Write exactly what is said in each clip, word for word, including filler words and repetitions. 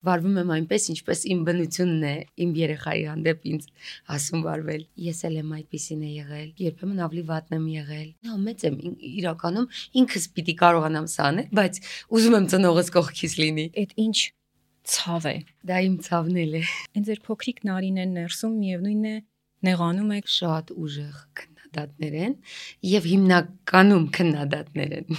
վարվում եմ այնպես, ինչպես իմ բնությունն է, իմ երեխայի հանդեպ ինձ ասում վարվել։ Ես էլ եմ այդպիսին է եղել, երբեմն ավելի վատն եմ եղել։ Նա մեծ եմ, իրականում ինքս պիտի կարողանամ սա անել, բայց ուզում եմ ծնողս կողքից լինի։ Այդ ինչ ցավ է։ Դա իմ ցավն էլ է։ Այն ձեր փոքրիկ Նարինեն ներսում միևնույնն է նեղանում եք շատ ուժեղ քննադատներ են եւ հիմնականում քննադատներ են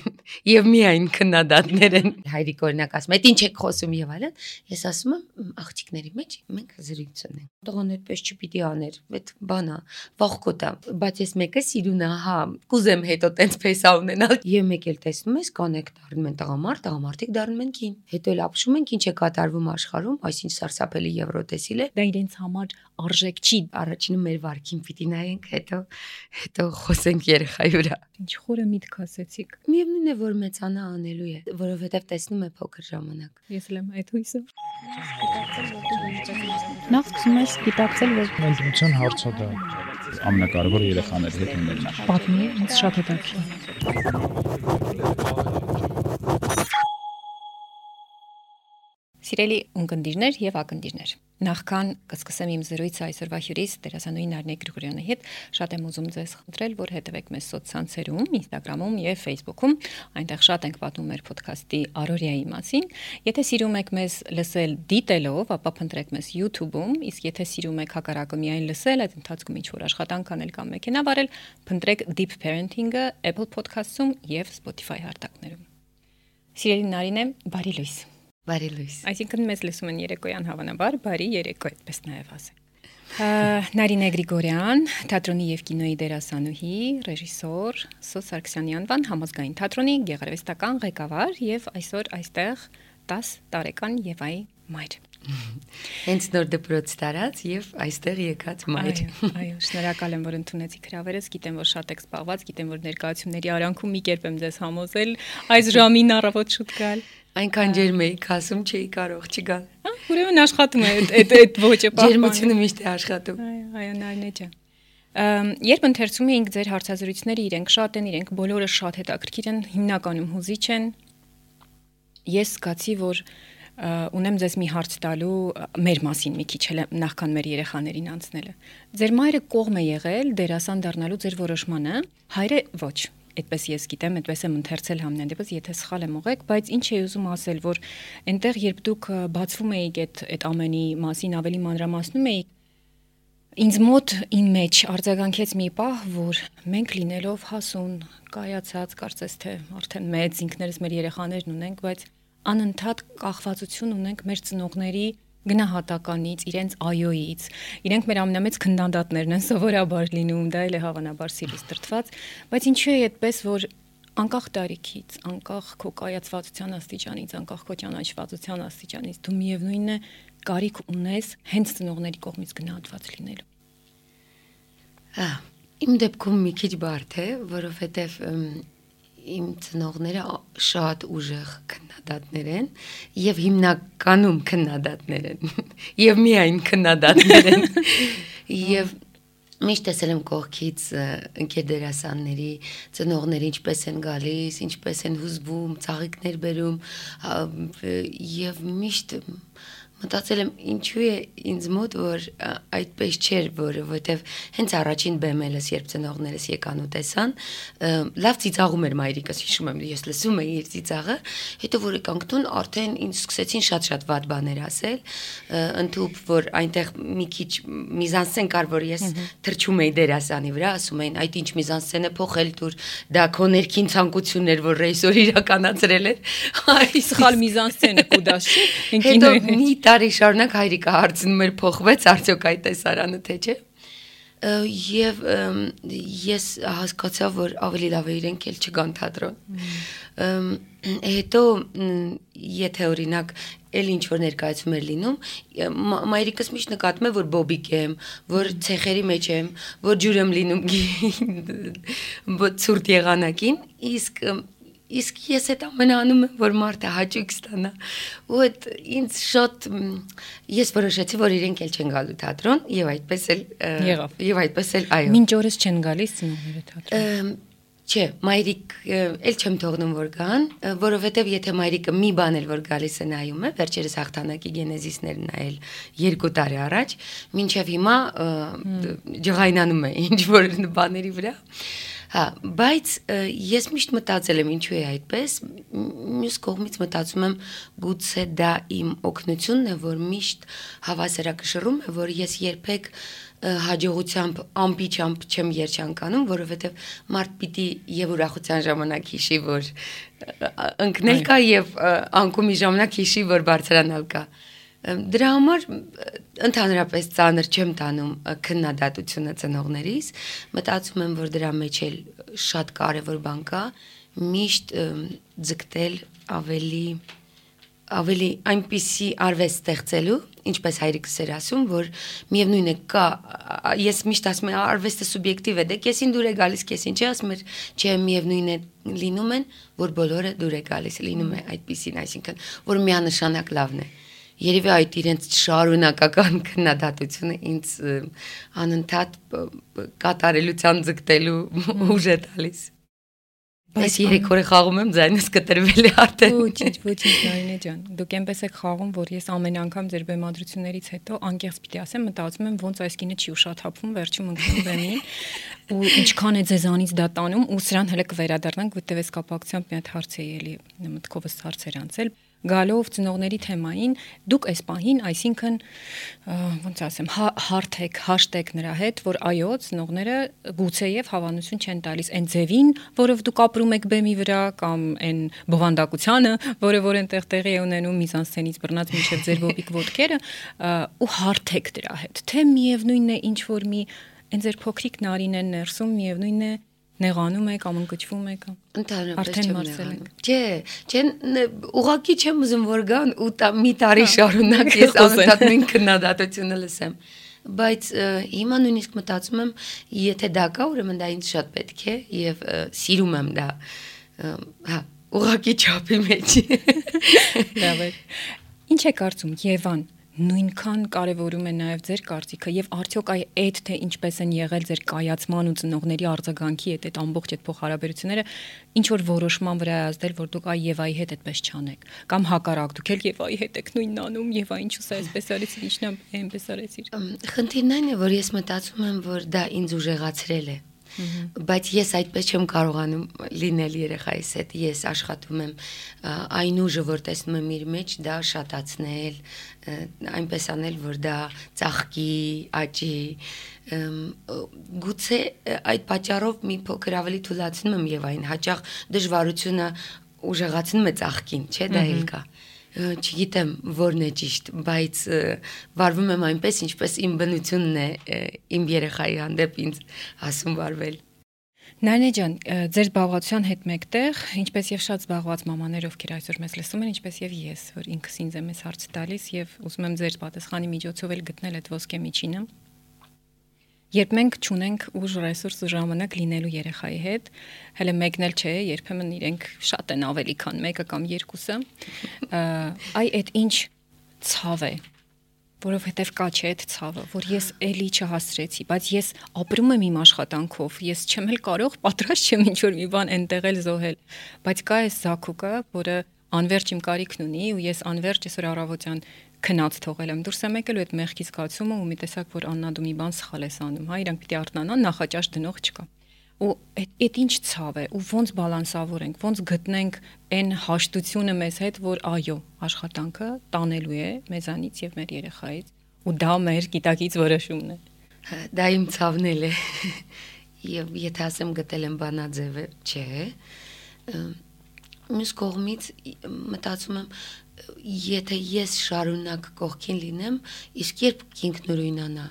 եւ միայն քննադատներ են։ Հայրիկ օրինակ ասում է, «Այդ ինչ եք խոսում» եւ այլն։ Ես ասում եմ, աղջիկների մեջ մենք զրույց ունենք։ Տղան այդպես չպիտի աներ, այդ բանա, վախկոտ է, բայց ես մեկը սիրուն է, հա, կուզեմ հետո տենց փեսա ունենալ։ Եվ մեկ էլ տեսնում ես, կանեք դառնում են տղամարդ, տղամարդիկ դառնում են կին։ Հետո էլ ապշում ենք ինչ է կատարվում աշխարհում, այսինչ սարսափելի եվրոտեսիլ է։ Դա իրենց համար արժեք չի։ Առաջինը մեր վարքին պիտի նայենք, հետո հետո խոսենք երեխայի վրա։ Ինչ խորը միտք ասեցիք։ Միևնույն է, որ մեծանա անելու է, որովհետև տեսնում է փոքր ժամանակ։ Ես էլ եմ այդ հույսով։ Նախ սկսում ես գիտակցել, որ ընտրության հարցը դա ամենակարևորը երեխաների հետ ունենալն է։ պատմի, ինձ շատ հետաքրքիր։ Սիրելի ունկնդիրներ եւ ակնդիրներ, նախքան կսկսեմ իմ զրույցը այսօրվա հյուրիս դերասանուհի Նարինե Գրիգորյանի հետ, շատ եմ ուզում ձեզ խնդրել, որ հետևեք մեզ սոցցանցերում, Instagram-ում եւ Facebook-ում, այնտեղ շատ ենք պատմում մեր ոդքասթի առօրյայի մասին։ Եթե սիրում եք մեզ լսել դիտելով, ապա փնտրեք մեզ YouTube-ում, իսկ եթե սիրում եք հակառակը միայն լսել, այդ ընթացքում ինչ-որ աշխատանք անել կամ մեքենա վարել, փնտրեք Deep Parenting-ը Apple Podcast-ում եւ Spotify հարթակներում։ Սիրելի Նարինե, բարի լույս։ Բարի լույս։ Այսինքն մեզ լսում են երեկոյան հավանաբար, բարի երեկո, այդպես նաև ասենք։ Նարինե Գրիգորյան, թատրոնի եւ կինոյի դերասանուհի, ռեժիսոր, Սո Սարգսյանի անվան համազգային թատրոնի գեղարվեստական ղեկավար եւ այսօր այստեղ տասը տարեկան Եվայի մայր։ Հենց նոր դպրոց տարած եւ այստեղ եկած մայր։ Այո, շնորհակալ եմ, որ ընդունեցիք հրավերս, գիտեմ, որ շատ եք զբաղված, գիտեմ, որ ներկայացումների արանքում մի կերպ եմ ձեզ համոզել այս ժամին առավոտ շուտ գալ։ Այնքան ջերմ էի, ասում չէի կարող չգալ։ Ուրեմն աշխատում է այդ այդ ոճը պահպանել։ Ջերմությունը միշտ է աշխատում։ Այո, այո, Նարինե ջան։ Երբ ընթերցում էինք ձեր հարցազրույցները, իրենք շատ են, իրենք բոլորը շատ հետաքրքիր են, հիմնականում հուզիչ են։ Ես զգացի, որ ունեմ ձեզ մի հարց տալու մեր մասին մի քիչ էլ նախքան մեր երեխաներին անցնելը։ Ձեր մայրը կողմ է եղել դերասան դառնալու ձեր որոշմանը, հայրը ոչ։ Այդպես ես գիտեմ, այդպես եմ ընթերցել համենայն դեպս, եթե սխալ եմ ուղեք, բայց ինչ էի ուզում ասել, որ այնտեղ երբ դուք բացվում էիք այդ այդ ամենի մասին ավելի մանրամասնում էիք, ինձ մոտ իմ մեջ արձագանքեց մի պահ, որ մենք լինելով հասուն, կայացած, կարծես թե արդեն մեծ ինքներս մեր երեխաներն ունենք, բայց անընդհատ կախվածություն ունենք մեր ծնողների գնահատականից, իրենց այոյից, իրենք մեր ամենամեծ քննադատներն են սովորաբար լինում, դա էլ է հավանաբար սիրից տրտված, բայց ինչու է այդպես, որ անկախ տարիքից, անկախ քո կայացվածության աստիճանից, անկախ քո ճանաչվածության աստիճանից, դու միևնույնն է կարիք ունես հենց ծնողների կողմից գնահատված լինելու։ Ահա, իմ դեպքում մի քիչ բարդ է, որովհետև իմ ծնողները շատ ուժեղ քննադատներ են եւ հիմնականում քննադատներ են եւ միայն քննադատներ են եւ միշտ տեսել եմ կողքից ընկեր դերասանների ծնողները ինչպես են գալիս, ինչպես են հուզվում, ծաղիկներ բերում եւ միշտ մտածել եմ ինչու է ինձ մոտ որ այդպես չէր, որովհետև հենց առաջին բեմելս երբ ծնողներս եկան ու տեսան, լավ ծիծաղում էր մայրիկս, հիշում եմ, ես լսում էի իր ծիծաղը, հետո որ եկանք տուն արդեն ինձ սկսեցին շատ-շատ վատ բաներ ասել, ընդհուպ որ այնտեղ մի քիչ միզանսցեն կար, որ ես թրջում էի դերասանի վրա, ասում էին այդ ինչ միզանսցեն է փոխել դուր, դա քո ներքին ցանկությունն էր, որ ռեժիսոր իրականացրել էր, այս սխալ միզանսցենը կուդաշ չէ, հետո մի տարի շարունակ հայրիկը հարցնում էր փոխվեց արդյոք այդ տեսարանը թե չէ եւ ես հասկացա որ ավելի լավ է իրենք էլ չգան թատրոն հետո եթե օրինակ էլ ինչ որ ներկայացում էր լինում մայրիկս միշտ նկատում է որ բոբիկ եմ որ ցեխերի մեջ եմ որ ջուր եմ լինում ցուրտ եղանակին իսկ Իսկ ես այդ ամենը անում եմ, որ մարդը հաճույք ստանա։ Ու այդ ինձ շատ ես որոշեցի, որ իրենք էլ չեն գալու թատրոն, եւ այդպես էլ եղավ։ Եվ այդպես էլ այո։ Մինչ օրս չեն գալիս ծնողները թատրոն։ Չէ, մայրիկ էլ չեմ թողնում որ գան, որովհետև եթե մայրիկը մի բան էլ որ գալիս է նայում է, վերջերս հաղթանակի գենեզիսներ նայել երկու տարի առաջ, մինչև հիմա ջղայնանում է ինչ որ բաների վրա։ Հա, բայց ես միշտ մտածել եմ ինչու է այդպես, մյուս կողմից մտածում եմ գուցե դա իմ օգնությունն է, որ միշտ հավասարակշռում է, որ ես երբեք հաջողությամբ ամպիչամփ չեմ երջանկանում, որովհետև մարդ պիտի եւ ուրախության ժամանակ հիշի, որ ընկնել կա եւ անկումի ժամանակ հիշի, որ բարձրանալ կա։ Դրա համար ընդհանրապես ծանր չեմ տանում քննադատությունը ծնողներիս, մտածում եմ, որ դրա մեջ էլ շատ կարևոր բան կա, միշտ ձգտել ավելի ավելի այնպիսի արվեստ ստեղծելու, ինչպես հայրիկս էր ասում, որ միևնույն է կա, ես միշտ ասում եմ արվեստը սուբյեկտիվ է, դե կեսին դուր է գալիս, կեսին չի, ասում եմ, չէ, միևնույն է լինում են, որ բոլորը դուր է գալիս, լինում է այդպիսին, այսինքն, որ միանշանակ լավն է։ Երևի այդ իրենց շարունակական քննադատությունը ինձ անընդհատ կատարելության ձգտելու ուժ է տալիս։ Բայց երեք օրը խաղում եմ, ձայնս կտրվել է արդեն։ Ոչինչ, ոչինչ, Նարինե ջան։ Դուք այնպես եք խաղում, որ ես ամեն անգամ ձեր բեմադրություններից հետո անկեղծ պիտի ասեմ, մտածում եմ ոնց այս կինը չի ուշաթափվում, վերջում ընկնում բեմին, ու ինչքան է ձեզանից դա տանում, ու սրան հələ կվերադառնանք, որտեվ այս կապակցությամբ մի հատ հարց է ելի մտքովս հարցեր անցել։ Գալով ծնողների թեմային, դուք այս պահին, այսինքն ոնց ասեմ, հարթ եք, հաշտ եք նրա հետ, որ այո, ծնողները գուցեև հավանություն չեն տալիս այն ձևին, որով դուք ապրում եք բեմի վրա, կամ այն բովանդակությանը, որը որ այնտեղ տեղի է ունենում միզանսցենից բռնած մինչև ձեր բոբիկ ոտքերը, ու հարթ եք դրա հետ։ Թե միևնույնն է ինչ որ մի այն ձեր փոքրիկ Նարինեն ներսում միևնույնն է նեղանում եք, կամ ընկճվում եք, ընդհանրապես չեմ նեղանում։ Չէ, չեն ուղղակի չեմ ուզում որ գան ու մի տարի շարունակ ես անընդհատ նույն քննադատությունը լսեմ։ Բայց հիմա նույնիսկ մտածում եմ, եթե դա կա, ուրեմն դա ինձ շատ պետք է եւ սիրում եմ դա։ Հա, ուղղակի չափի մեջ։ Լավ է։ Ինչ է կարծում Եվան, նույնքան կարևորում է նաև ձեր կարծիքը եւ արդյոք այ այդ թե ինչպես են եղել ձեր կայացման ու ծնողների արձագանքի հետ այդ ամբողջ այդ փոխհարաբերությունները ինչ որ որոշման վրա է ազդել, որ դուք այ Եվայի հետ այդպես չանեք, կամ հակառակ դուք էլ Եվայի հետ եք նույնն անում, Եվա ինչու սա այսպես արեցիր, ինչն է այնպես արեցիր։ Խնդիրն այն է, որ ես մտածում եմ, որ դա ինձ ուժեղացրել է։ Բայց ես այդպես չեմ կարողանում լինել երեխայիս հետ, ես աշխատում եմ այն ուժը, որ տեսնում եմ իր մեջ, դա շատացնել, այնպես անել, որ դա ծաղկի, աճի, գուցե այդ պատճառով մի փոքր ավելի թուլացնում եմ Եվային, հաճախ դժվարությունը ուժեղացնում է ծաղկին, չէ, դա էլ կա։ Չգիտեմ որն է ճիշտ, բայց վարվում եմ այնպես, ինչպես իմ բնությունն է իմ երեխայի հանդեպ ինձ ասում վարվել։ Նարինե ջան, ձեր զբաղվածության հետ մեկտեղ, ինչպես եւ շատ զբաղված մամաներ, ովքեր այսօր մեզ լսում են, ինչպես եւ ես, որ ինքս ինձ եմ այս հարցը տալիս եւ ուզում եմ ձեր պատասխանի միջոցով էլ գտնել այդ ոսկե միջինը։ Երբ մենք չունենք ուժ, ռեսուրս ու ժամանակ լինելու երեխայի հետ, հələ մեկն էլ չէ, երբեմն իրենք շատ են ավելի քան մեկը կամ երկուսը, այ այդ ինչ ցավ է, որովհետև կա չէ այդ ցավը, որ ես էլի չհասրեցի, բայց ես ապրում եմ իմ աշխատանքով, ես չեմ էլ կարող, պատրաստ չեմ ինչ որ մի բան այնտեղ էլ զոհել, բայց կա այս զաքուկը, որը անverջ իմ կարիքն ունի ու ես անverջ այսօր առավոտյան քնած թողել եմ դուրս եմ եկել ու այդ մեղքի զգացումը ու մի տեսակ որ Աննա դու մի բան սխալ ես անում, հա, իրանք պիտի արթնանան, նախաճաշ դնող չկա։ Ու այդ ինչ ցավ է, ու ոնց բալանսավորենք, ոնց գտնենք այն հաշտությունը մեզ հետ, որ այո, աշխատանքը տանելու է մեզանից եւ մեր երեխայից, ու դա մեր գիտակից որոշումն է։ Դա իմ ցավն է։ Եվ եթե ասեմ գտել եմ բանաձևը, չէ։ Մյուս կողմից մտածում եմ, եթե ես շարունակ կողքին լինեմ, իսկ երբ ինքնուրույնանա,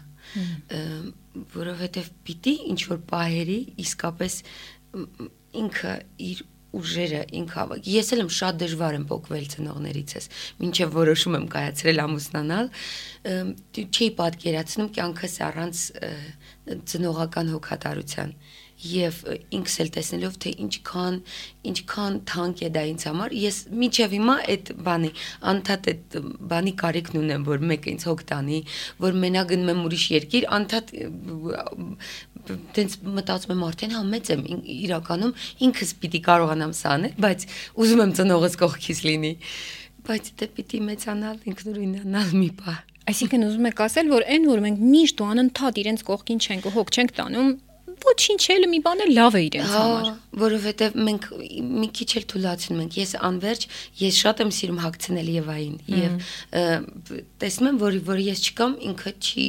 որովհետև պիտի ինչ որ պահերի իսկապես ինքը իր ուժերը ինքը ես էլ եմ շատ դժվար եմ փոխվել ծնողներիցս, մինչև որոշում եմ կայացրել ամուսնանալ, չի պատկերացնում կյանքս առանց ծնողական հոգատարության եւ ինքս էլ տեսնելով թե ինչքան ինչքան թանկ է դա ինձ համար ես միջև հիմա այդ բանի անդադ այդ բանի կարիքն ունեմ որ մեկը ինձ հոգ տանի որ մենակ գնում եմ ուրիշ երկիր անդադ տենց մտածում եմ արդեն հա մեծ եմ իրականում ինքս պիտի կարողանամ սա անել, բայց ուզում եմ ծնողս կողքից լինի, բայց դե պիտի մեծանալ, ինքնուրույնանալ մի բան։ Այսինքն ուզում եք ասել, որ այն որ մենք միշտ ու անընդհատ իրենց կողքին չենք ու հոգ չենք տանում, ոչինչ էլ մի բան էլ լավ է իրենց համար։ Որովհետև մենք մի քիչ էլ թույլատություն ենք։ Ես անverջ, ես շատ եմ սիրում հագցնել Եվային եւ տեսնում եմ, որ որ ես չկամ, ինքը չի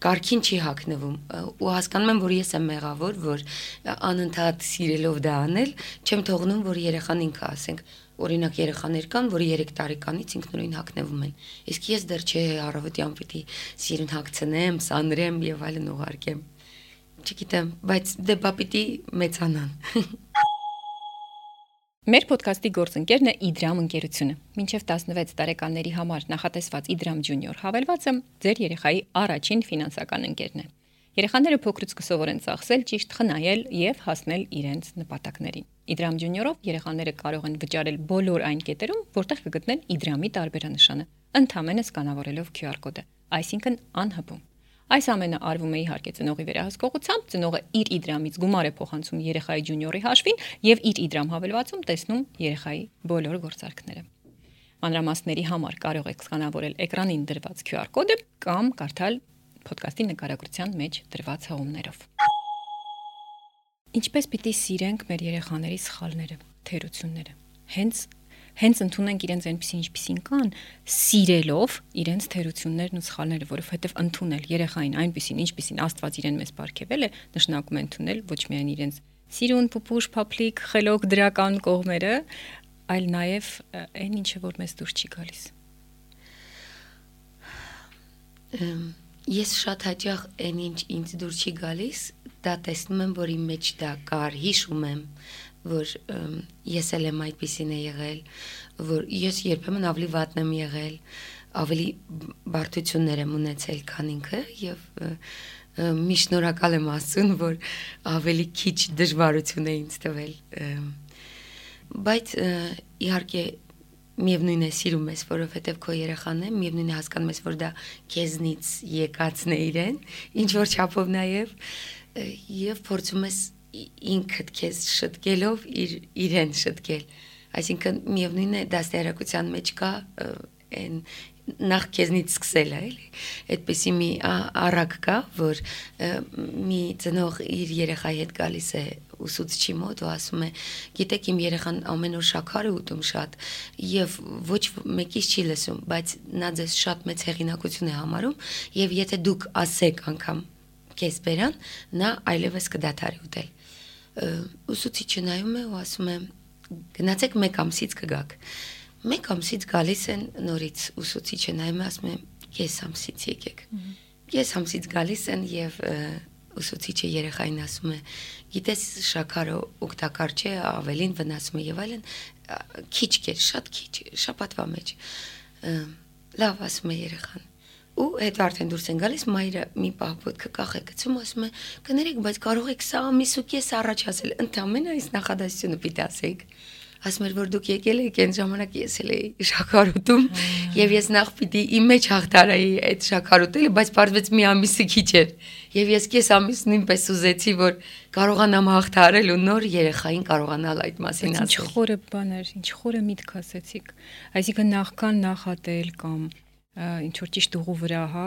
կարքին չի հագնվում ու հասկանում եմ, որ ես եմ մեղավոր, որ անընդհատ սիրելով դա անել, չեմ թողնում, որ երեխան ինքը ասենք օրինակ երեխաներ կան, որ երեք տարեկանից ինքնուրույն հագնվում են։ Իսկ ես դեռ չէ առավոտյան պիտի սիրուն հագցնեմ, սանրեմ եւ այլն ուղարկեմ։ Չգիտեմ, բայց դե բա պիտի մեծանան։ Մեր ոդքասթի գործընկերն է Իդրամ ընկերությունը։ Մինչև տասնվեց տարեկանների համար նախատեսված Իդրամ Junior հավելվածը ձեր երեխայի առաջին ֆինանսական ընկերն է։ Երեխաները փոքրուց կսովորեն ծախսել, ճիշտ խնայել եւ հասնել իրենց նպատակներին։ Իդրամ Junior-ով երեխաները կարող են վճարել բոլոր այն կետերում, որտեղ կգտնեն Իդրամի տարբերանշանը, ընդհանրապես սկանավորելով Q R կոդը, այսինքն անհպում։ Այս ամենը արվում է իհարկե ծնողի վերահսկողությամբ, ծնողը իր Իդրամից գումար է փոխանցում երեխայի Junior-ի հաշվին եւ իր Իդրամ հավելվածում տեսնում երեխայի բոլոր գործարքները։ Մանրամասների համար կարող եք սկանավորել էկրանին դրված Q R կոդը կամ կարդալ ոդքասթի նկարագրության մեջ դրված հղումներով։ Ինչպես պիտի սիրենք մեր երեխաների սխալները, թերությունները։ Հենց հենց ընդունենք իրենց այնպեսին ինչպեսին կան, սիրելով իրենց թերություններն ու սխալները, որովհետև ընդունել երեխային այնպեսին ինչպեսին Աստված իրեն մեզ բարգեվել է, նշանակում է ընդունել ոչ միայն իրենց սիրուն, պուպուշ, փափլիկ, խելոք դրական կողմերը, այլ նաև այն ինչը որ մեզ դուր չի գալիս։ Ես շատ հաճախ այն ինչ ինձ դուր չի գալիս, դա տեսնում եմ, որ իմ մեջ դա կար, հիշում եմ, որ ես էլ եմ այդպիսին է եղել, որ ես երբեմն ավելի վատն եմ եղել, ավելի բարդություններ եմ ունեցել, քան ինքը եւ մի շնորհակալ եմ Աստծուն, որ ավելի քիչ դժվարություն է ինձ տվել, բայց իհարկե միևնույն է սիրում ես, որովհետև քո երեխան է, միևնույն է հասկանում ես, որ դա քեզնից եկածն է իրեն, ինչ որ չափով նաև եւ փորձում ես ինքդ քեզ շտկելով իր իրեն շտկել, այսինքն միևնույն է դաստիարակության մեջ կա այն նախ քեզնից սկսելը, էլի, այդպեսի մի առակ կա, որ մի ծնող իր երեխայի հետ գալիս է ուսուցչի մոտ ու ասում է, գիտեք իմ երեխան ամեն օր շաքար է ուտում շատ եւ ոչ մեկից չի լսում, բայց նա ձեզ շատ մեծ հեղինակություն է համարում եւ եթե դուք ասեք անգամ քեզ բերան, նա այլևս կդադարի ուտել։ Ուսուցիչը նայում է ու ասում է, գնացեք մեկ ամսից կգաք։ Մեկ ամսից գալիս են նորից ուսուցիչը նայում է ասում է, կես ամսից եկեք։ Կես ամսից գալիս են եւ ուսուցիչը երեխային ասում է, գիտես շաքարը օգտակար չէ, ավելին վնասում է եւ այլն, քիչ կեր, շատ քիչ, շաբաթվա մեջ։ Լավ ասում է երեխան։ Ու հետո արդեն դուրս են գալիս, մայրը մի պահ ոտքը կախ է գցում, ասում է, կներեք, բայց կարող եք սա ամիս ու կես առաջ ասել, ընդամենը այս նախադասությունը պիտի ասեք։ Ասում էր, որ դուք եկել եք, այն ժամանակ ես էլ էի շաքար ուտում, եւ ես նախ պիտի իմ մեջ հաղթարայի այդ շաքար ուտելը, բայց պարզվեց մի ամիսը քիչ էր։ Եվ ես կես ամիս նույնպես ուզեցի, որ կարողանամ հաղթարել ու նոր երեխային կարողանալ այդ մասին ասել։ Ինչ խորը բան էր, ինչ խորը միտք ասեցիք։ Այսինքն նախքան նախատել կամ ինչ որ ճիշտ ուղու վրա հա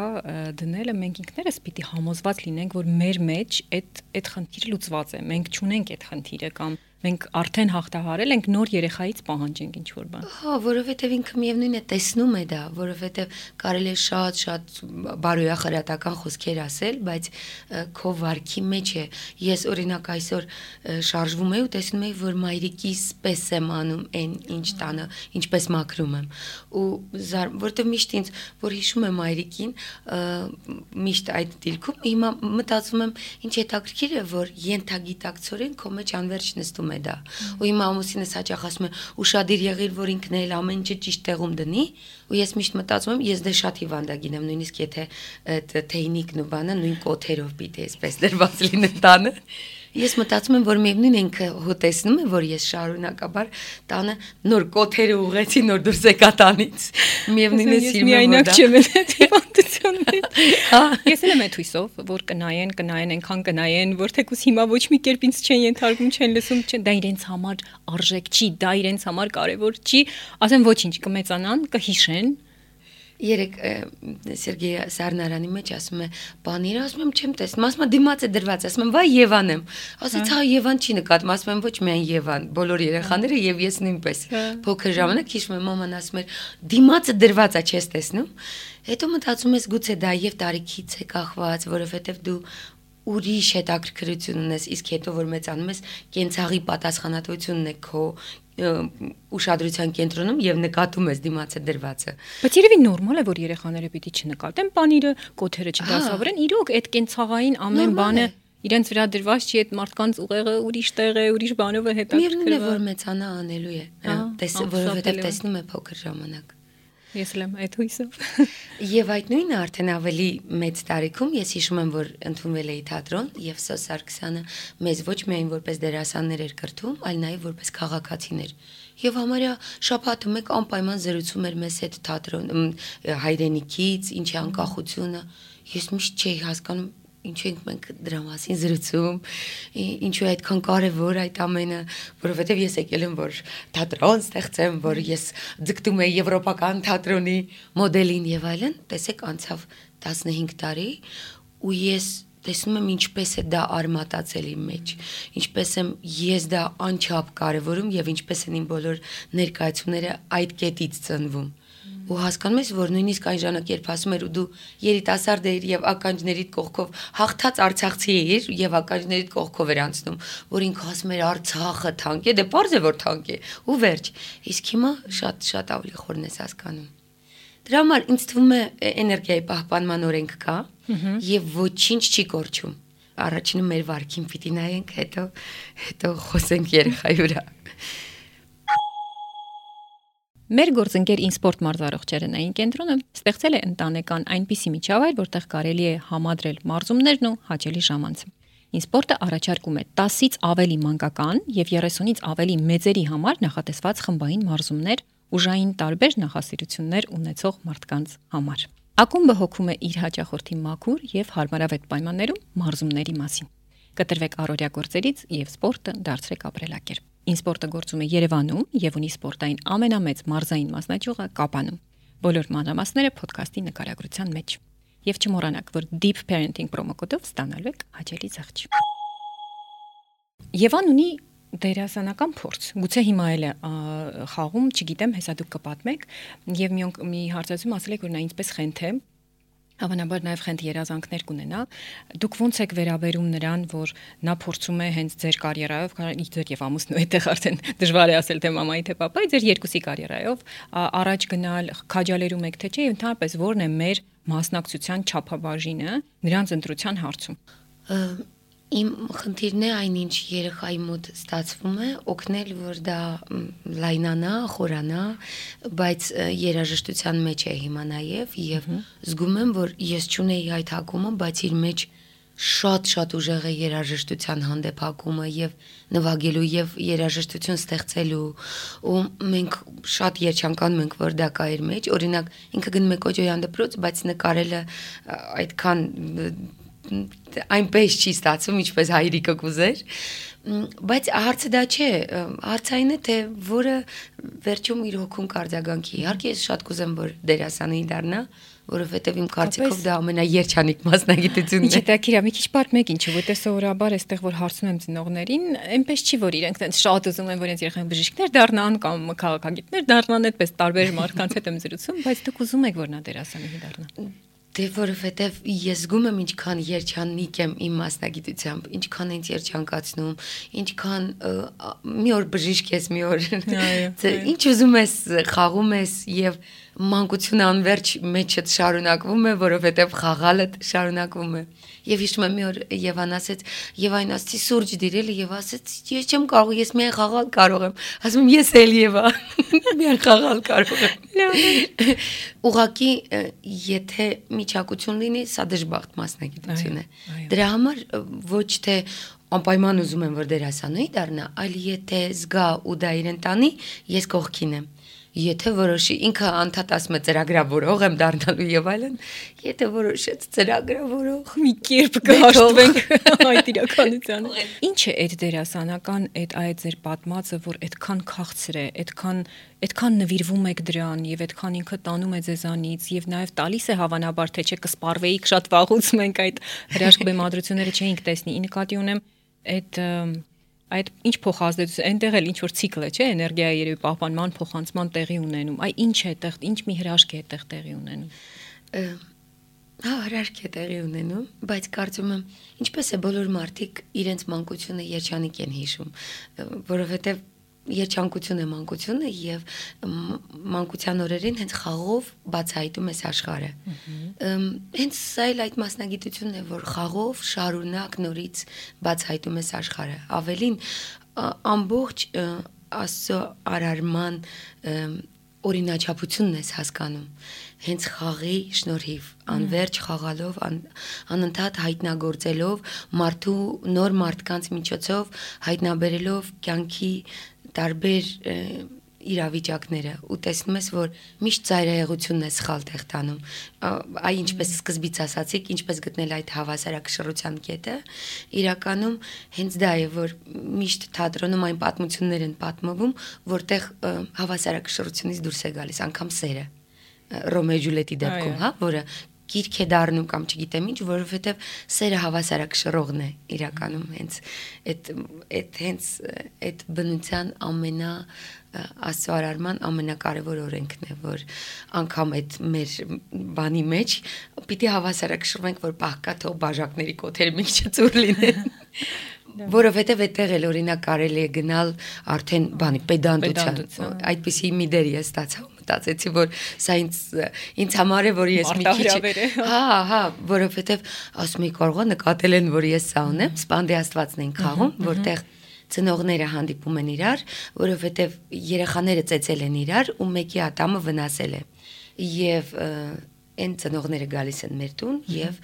դնելը մենք ինքներս պիտի համոզված լինենք, որ մեր մեջ այդ այդ խնդիրը լուծված է։ Մենք չունենք այդ խնդիրը կամ մենք արդեն հաղթահարել ենք, նոր երեխայից պահանջենք ինչ որ բան։ Հա, որովհետև ինքը միևնույն է տեսնում է դա, որովհետև կարելի է շատ-շատ բարոյախրատական խոսքեր ասել, բայց քո վարքի մեջ է։ Ես օրինակ այսօր շարժվում եի ու տեսնում եի, որ մայրիկիս պես եմ անում այն ինչ տանը, ինչպես մաքրում եմ։ Ու որովհետև միշտ ինձ, որ հիշում եմ մայրիկին, միշտ այդ դիրքում, հիմա մտածում եմ, ինչ հետաքրքիր է, որ ենթագիտակցորեն քո մեջ անverջ նստում է դա։ Ու հիմա ամուսինս հաճախ ասում է, ուշադիր եղիր, որ ինքն էլ ամեն ինչը ճիշտ տեղում դնի, ու ես միշտ մտածում եմ, ես դե շատ հիվանդագին եմ, նույնիսկ եթե թեյնիկն ու բանը նույն կոթերով պիտի այսպես դրված լինեն տանը։ Ես մտածում եմ, որ միևնույն է ինքը հոտեսնում է, որ ես շարունակաբար տանը նոր կոթերը ուղեցի, նոր դուրս եկա տանից։ Միևնույն է սիրում եմ դա։ հարցումից։ Ես էլ եմ այդ հույսով, որ կնայեն, կնայեն, այնքան կնայեն, որ թեկուզ հիմա ոչ մի կերպ ինձ չեն ենթարկում, չեն լսում, չեն, դա իրենց համար արժեք չի, դա իրենց համար կարևոր չի, ասեմ ոչինչ, կմեծանան, կհիշեն։ Երեք Սերգեյ Սարնարանի մեջ ասում է, բաները ասում եմ չեմ տեսնում, ասում եմ դիմաց է դրված, ասում եմ վայ Եվան եմ։ Ասեց հա Եվան չի նկատում, ասում եմ ոչ միայն Եվան, բոլոր երեխաները եւ ես նույնպես։ Փոքր ժամանակ հիշում եմ մաման ասում էր դիմացը դրված է, չես տեսնում։ Հետո մտածում ես գուցե դա եւ տարիքից է կախված, որովհետեւ դու ուրիշ հետաքրքրություն ունես, իսկ հետո որ մեծանում ես, կենցաղի պատասխանատվությունն է քո ուշադրության կենտրոնում եւ նկատում ես դիմացը դրվածը։ Բայց երևի նորմալ է, որ երեխաները պիտի չնկատեն բանիրը, կոթերը չդասավորեն, իրոք այդ կենցաղային ամեն բանը իրենց վրա դրված չի, այդ մարդկանց ուղեղը ուրիշ տեղ է, ուրիշ բանով է հետաքրքրվում։ Միևնույն է, որ մեծանա անելու է, որովհետեւ տեսնում է փոքր ժամանակ։ Ես եմ այդ հույսով։ Եվ այդ նույնը արդեն ավելի մեծ տարիքում ես հիշում եմ, որ ընդունվել էի թատրոն եւ Սոս Սարգսյանը մեզ ոչ միայն որպես դերասաններ էր կրթում, այլ նաեւ որպես քաղաքացիներ։ Եվ համարյա շաբաթը մեկ անպայման զրուցում էր մեզ հետ թատրոն հայրենիքից, ինչի անկախությունը։ Ես միշտ չէի հասկանում ինչու ենք մենք դրա մասին զրուցում, ինչու է այդքան կարևոր այդ ամենը, որովհետև ես եկել եմ, որ թատրոն ստեղծեմ, որ ես ձգտում եմ եվրոպական թատրոնի մոդելին եւ այլն, տեսեք անցավ տասնհինգ տարի ու ես տեսնում եմ ինչպես է դա արմատացել իմ մեջ, ինչպես եմ ես դա անչափ կարևորում եւ ինչպես են իմ բոլոր ներկայացումները այդ կետից ծնվում։ Ու հասկանում ես, որ նույնիսկ այն ժամանակ երբ ասում էր ու դու երիտասարդ էիր եւ ականջներիդ կողքով հաղթած արցախցի էիր եւ ականջներիդ կողքով էր անցնում, որ ինքը ասում էր Արցախը թանկ է, դե պարզ է որ թանկ է, ու վերջ։ Իսկ հիմա շատ շատ ավելի խորն ես հասկանում։ Դրա համար ինձ թվում է էներգիայի պահպանման օրենք կա եւ ոչինչ չի կորչում։ Առաջինը մեր վարքին պիտի նայենք, հետո հետո խոսենք երեխայի վրա։ Մեր գործընկեր Ինսպորտ մարզարողջերենային կենտրոնը ստեղծել է ընտանեկան այնպիսի միջավայր, որտեղ կարելի է համադրել մարզումներն ու հաճելի ժամանցը։ Ինսպորտը առաջարկում է տասից ավելի մանկական եւ երեսունից ավելի մեծերի համար նախատեսված խմբային մարզումներ ուժային տարբեր նախասիրություններ ունեցող մարդկանց համար։ Ակումբը հոգում է իր հաճախորդի մաքուր եւ հարմարավետ պայմաններում մարզումների մասին։ Կտրվեք առօրյա գործերից եւ սպորտը դարձրեք ապրելակերպ։ Ինսպորտը գործում է Երևանում եւ ունի սպորտային ամենամեծ մարզային մասնաճյուղը Կապանում։ Բոլոր մանրամասները ոդքասթի նկարագրության մեջ։ Եվ չմոռանաք, որ Deep Parenting պրոմոկոդով ստանալու եք հաճելի զղջ։ Եվան ունի դերասանական փորձ։ Գուցե հիմա էլ է խաղում, չգիտեմ, հեսա դուք կպատմեք, եւ մի մի հարցազրույցում ասել եք, որ նա ինձպես խենթ է։ Հավանաբար նաև խենթ երազանքներ կունենա։ Դուք ո՞նց եք վերաբերում նրան, որ նա փորձում է հենց ձեր կարիերայով, ձեր եւ ամուսնու այդտեղ արդեն դժվար է ասել թե մամայի թե պապայի, ձեր երկուսի կարիերայով առաջ գնալ, քաջալերում եք թե չէ, եւ ընդհանրապես ո՞րն է մեր մասնակցության չափաբաժինը նրանց ընտրության հարցում։ Իմ խնդիրն է այնինչ երեխայի մոտ ստացվում է օգնել, որ դա լայնանա, խորանա, բայց երաժշտության մեջ է հիմա նաև եւ զգում եմ, որ ես չունեի այդ հակումը, բայց իր մեջ շատ-շատ ուժեղ է երաժշտության հանդեպ հակումը եւ նվագելու եւ երաժշտություն ստեղծելու ու մենք շատ երջանկանում ենք, որ դա կա իր մեջ, օրինակ ինքը գնում է Կոջոյան դպրոց, բայց նկարելը այդքան այնպես չի ստացվում, ինչպես հայրիկը կուզեր, բայց հարցը դա չէ, հարցային է, թե որը վերջում իր հոգուն կարձագանքի։ Իհարկե ես շատ կուզեմ, որ դերասանի դառնա, որովհետև իմ կարծիքով դա ամենաերջանիկ մասնագիտությունն է։ Ինչ է դա մի քիչ պատմեք ինչու, որտեղ սովորաբար այստեղ որ հարցնում եմ ծնողներին, այնպես չի որ իրենք տենց շատ ուզում են որ իրենց երեխան բժիշկներ դառնան կամ քաղաքագետներ դառնան, այդպես տարբեր մարդկանց հետ եմ զրուցում, բայց դուք ուզում եք որ նա դերասանի դառնա։ Դե որովհետև ես զգում եմ ինչքան երջանիկ եմ իմ մասնագիտությամբ, ինչքան ինձ երջանկացնում, ինչքան մի օր բժիշկ ես, մի օր ինչ ուզում ես խաղում ես եւ մանկությունը անverջ մեջդ շարունակվում է, որովհետև խաղալը շարունակվում է։ Եվ հիշում եմ մի օր Եվան ասեց, եւ այն ասեցի սուրճ դիրել եւ ասեց, ես չեմ կարող, ես միայն խաղալ կարող եմ։ Ասում եմ ես էլ Եվա, միայն խաղալ կարող եմ։ Ուղղակի եթե միջակություն լինի, սա դժբախտ մասնագիտություն է։ Դրա համար ոչ թե անպայման ուզում եմ որ դերասանուհի դառնա, այլ եթե զգա ու դա իրեն տանի, ես կողքին եմ։ Եթե որոշի ինքը անդադ ասում է ծրագրավորող եմ դառնալու եւ այլն, եթե որոշեց ծրագրավորող մի կերպ կհաշտվենք այդ իրականությանը։ Ինչ է այդ դերասանական այդ այդ ձեր պատմածը, որ այդքան քաղցր է, այդքան այդքան նվիրվում եք դրան եւ այդքան ինքը տանում է ձեզանից եւ նաեւ տալիս է հավանաբար թե չէ կսպարվեիք շատ վաղուց մենք այդ հրաշք բեմադրությունները չէինք տեսնի։ Ի նկատի ունեմ այդ այդ ինչ փոխազդեցություն այնտեղ էլ ինչ որ ցիկլ է, չէ, էներգիայի երևի պահպանման, փոխանցման տեղի ունենում։ Այ ինչ է այդտեղ, ինչ մի հրաշք է այդտեղ տեղի ունենում։ Հա, հրաշք է տեղի ունենում, բայց կարծում եմ, ինչպես է բոլոր մարդիկ իրենց մանկությունը երջանիկ են հիշում, որովհետև երջանկությունը մանկությունը եւ մանկության օրերին հենց խաղով բացահայտում ես աշխարհը։ Հենց սա էլ այդ մասնագիտությունն է, որ խաղով շարունակ նորից բացահայտում ես աշխարհը։ Ավելին ամբողջ Աստծո արարման օրինաչափությունն ես հասկանում։ Հենց խաղի շնորհիվ, անverջ խաղալով, ան, անընդհատ հայտնագործելով, մարդու նոր մարդկանց միջոցով հայտնաբերելով կյանքի տարբեր իրավիճակները ու տեսնում ես, որ միշտ ծայրահեղությունն է սխալ տեղ տանում։ Այ ինչպես սկզբից ասացիք, ինչպես գտնել այդ հավասարակշռության կետը, իրականում հենց դա է, որ միշտ թատրոնում այն պատմություններ են պատմվում, որտեղ հավասարակշռությունից դուրս է գալիս, անգամ սերը, Ռոմեո Ջուլիետի դեպքում, հա, որը գիրք է դառնում կամ չգիտեմ ինչ, որովհետև սերը հավասարակշռողն է իրականում հենց այդ այդ հենց այդ բնության ամենա Աստծո արարման ամենակարևոր օրենքն է, որ անգամ այդ մեր բանի մեջ պիտի հավասարակշռվենք, որ պահկա թող բաժակների կոթերը մի քիչ ծուր լինեն։ Որովհետև այդտեղ էլ օրինակ կարելի է գնալ արդեն բանի պետանտության, այդպիսի մի դեր ես ստացա ու մտածեցի, որ սա ինձ ինձ համար է, որ ես մի քիչ հա, հա, որովհետև ասում եի կարող է նկատել են, որ ես սա ունեմ, Սպանդի Աստվածն են խաղում, որտեղ ծնողները հանդիպում են իրար, որովհետև երեխաները ծեծել են իրար ու մեկի ատամը վնասել է։ Եվ այն ծնողները գալիս են մեր տուն եւ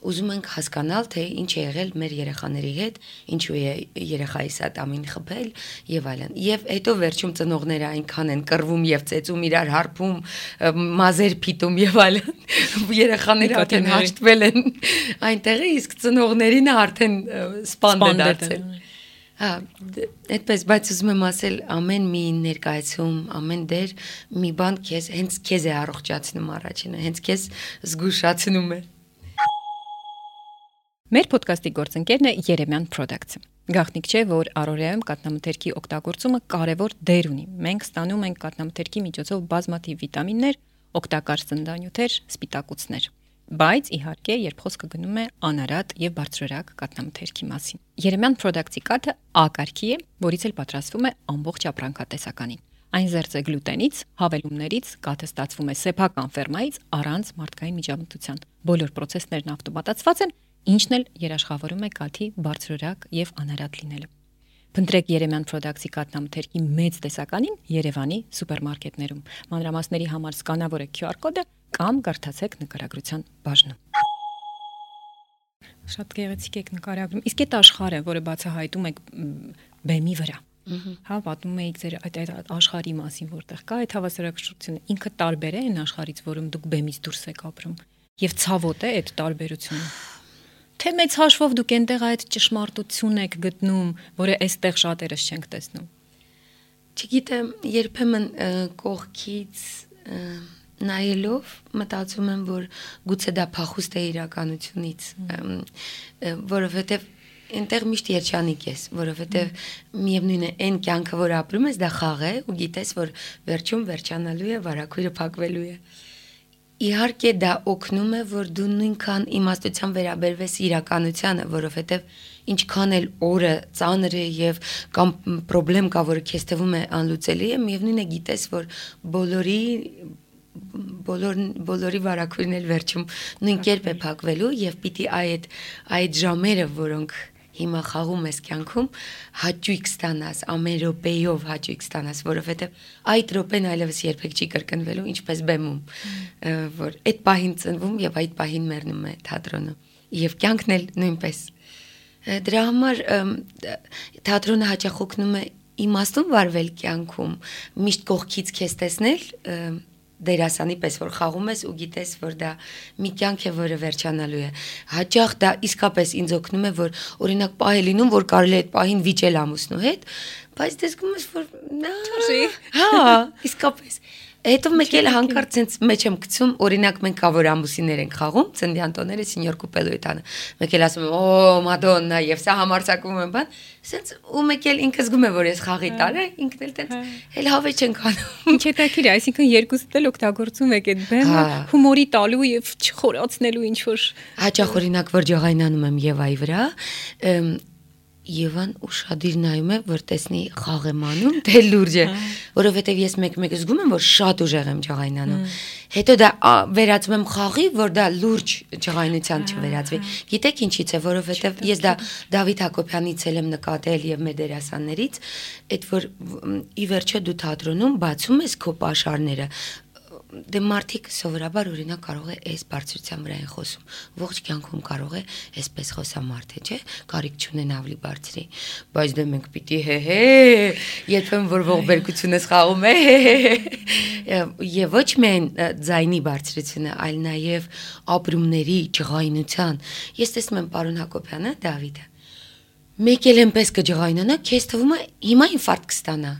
ուզում ենք հասկանալ, թե ինչ է եղել մեր երեխաների հետ, ինչու է երեխայիս ատամին խփել եւ այլն։ Եվ հետո վերջում ծնողները այնքան են կռվում եւ ծեծում իրար, հարբում, մազեր փիտում եւ այլն։ Երեխաները արդեն հաշտվել են այնտեղը, իսկ ծնողներին արդեն սպանդ է դարձել։ Հա, այդպես, բայց ուզում եմ ասել, ամեն մի ներկայացում, ամեն դեր մի բան քեզ, հենց քեզ է առողջացնում առաջինը, հենց քեզ զգուշացնում է։ Մեր ոդկասթի գործընկերն է Երեմյան Products-ը։ Գաղտնիք չէ, որ առօրյայում կաթնամթերքի օգտագործումը կարևոր դեր ունի։ Մենք ստանում ենք կաթնամթերքի միջոցով բազմաթիվ վիտամիններ, օգտակար սննդանյութեր, սպիտակուցներ։ Բայց իհարկե, երբ խոսքը գնում է անարատ եւ բարձրորակ կաթնամթերքի մասին։ Երեմյան Products-ի կաթը A կարգի է, որից էլ պատրաստվում է ամբողջ ապրանքատեսականին։ Այն զերծ է գլուտենից, հավելումներից, կաթը ստացվում է սեփական ֆերմայից առանց մարդկային միջամտության։ Բոլոր պրոցեսներն ավտոմատացված են, ինչն էլ երաշխավորում է կաթի բարձրորակ եւ անարատ լինելը։ Փնտրեք Երեմյան Products-ի կաթնամթերքի մեծ տեսականին Երևանի սուպերմարկետներում։ Մանրամասների համար սկանավորեք Q R կոդը կամ կարդացեք նկարագրության բաժնում։ Շատ գեղեցիկ եք նկարագրում։ Իսկ այդ աշխարհը, որը բացահայտում եք բեմի վրա, հա, պատմում եք ձեր այդ այդ աշխարհի մասին, որտեղ կա այդ հավասարակշռությունը, ինքը տարբեր է այն աշխարհից, որում դուք բեմից դուրս եք ապրում, եւ ցավոտ է այդ տարբերությունը։ Թե մեծ հաշվով դուք այնտեղ այդ ճշմարտություն եք գտնում, որը այստեղ շատերս չենք տեսնում։ Չգիտեմ, երբեմն կողքից նայելով մտածում եմ, որ գուցե դա փախուստ է իրականությունից, որովհետև այնտեղ միշտ երջանիկ ես, որովհետև միևնույն է այն կյանքը, որ ապրում ես, դա խաղ է ու գիտես, որ վերջում վերջանալու է, վարակույրը փակվելու է։ Իհարկե դա օգնում է, որ դու նույնքան իմաստության վերաբերվես իրականությանը, որովհետև ինչքան էլ օրը ծանր է եւ կամ խնդրեմ կա, որը քեզ թվում է անլուծելի է, միևնույն է գիտես, որ բոլորի բոլոր բոլորի վարակույրն էլ վերջում նույն կերպ է փակվելու եւ պիտի այդ այդ ժամերը, որոնք հիմա խաղում ես կյանքում, հաճույք ստանաս, ամեն րոպեյով հաճույք ստանաս, որովհետև այդ րոպեն այլևս երբեք չի կրկնվելու, ինչպես բեմում, որ այդ պահին ծնվում եւ այդ պահին մեռնում է թատրոնը, եւ կյանքն էլ նույնպես։ Դրա համար թատրոնը հաճախ օգնում է իմաստուն վարվել կյանքում, միշտ կողքից քեզ տեսնել, դերասանի պես որ խաղում ես ու գիտես որ դա մի կյանք է, որը վերջանալու է։ Հաճախ դա իսկապես ինձ օգնում է, որ օրինակ պահ է լինում, որ կարելի է այդ պահին վիճել ամուսնու հետ, բայց դες գում ես որ հա, իսկապես Հետո մեկ էլ հանկարծ ցենց մեջ եմ գցում, օրինակ մենք կա որ ամուսիններ ենք խաղում, ծննդյան տոները սենյոր կուպելոյտանը։ Մեկ էլ ասում եմ, «Օ, Մադոննա», եւ սա համարձակում եմ, բան, ցենց ու մեկ էլ ինքը զգում է, որ ես խաղի տար է, ինքն էլ տենց էլ հավեճ ենք անում։ Ինչ հետաքրիր է, այսինքն երկուսդ էլ օգտագործում եք այդ բեմը հումորի տալու եւ չխորացնելու ինչ որ։ Հաճախ օրինակ որ ջղայնանում եմ Եվայի վրա, Եվան ուշադիր նայում է, որ տեսնի խաղ եմ անում, թե լուրջ է, որովհետև ես մեկ-մեկ զգում եմ, որ շատ ուժեղ եմ ջղայնանում։ Հետո դա վերածում եմ խաղի, որ դա լուրջ ջղայնության չվերածվի։ Գիտեք ինչից է, որովհետև ես դա Դավիթ Հակոբյանից էլ եմ նկատել եւ մեր դերասաններից, այդ որ ի վերջո դու թատրոնում բացում ես քո պաշարները, դե մարդիկ սովորաբար օրինակ կարող է այս բարձրության վրա են խոսում, ողջ կյանքում կարող է այսպես խոսամարդ է, չէ, կարիք չունեն ավելի բարձրի, բայց դե մենք պիտի հե-հե, երբեմն որ ողբերգություն ես խաղում է, եւ ոչ միայն ձայնի բարձրությունը, այլ նաեւ ապրումների, ջղայնության։ Ես տեսնում եմ պարոն Հակոբյանը, Դավիթը մեկ էլ այնպես կջղայնանա, քեզ թվում է հիմա ինֆարկտ կստանա,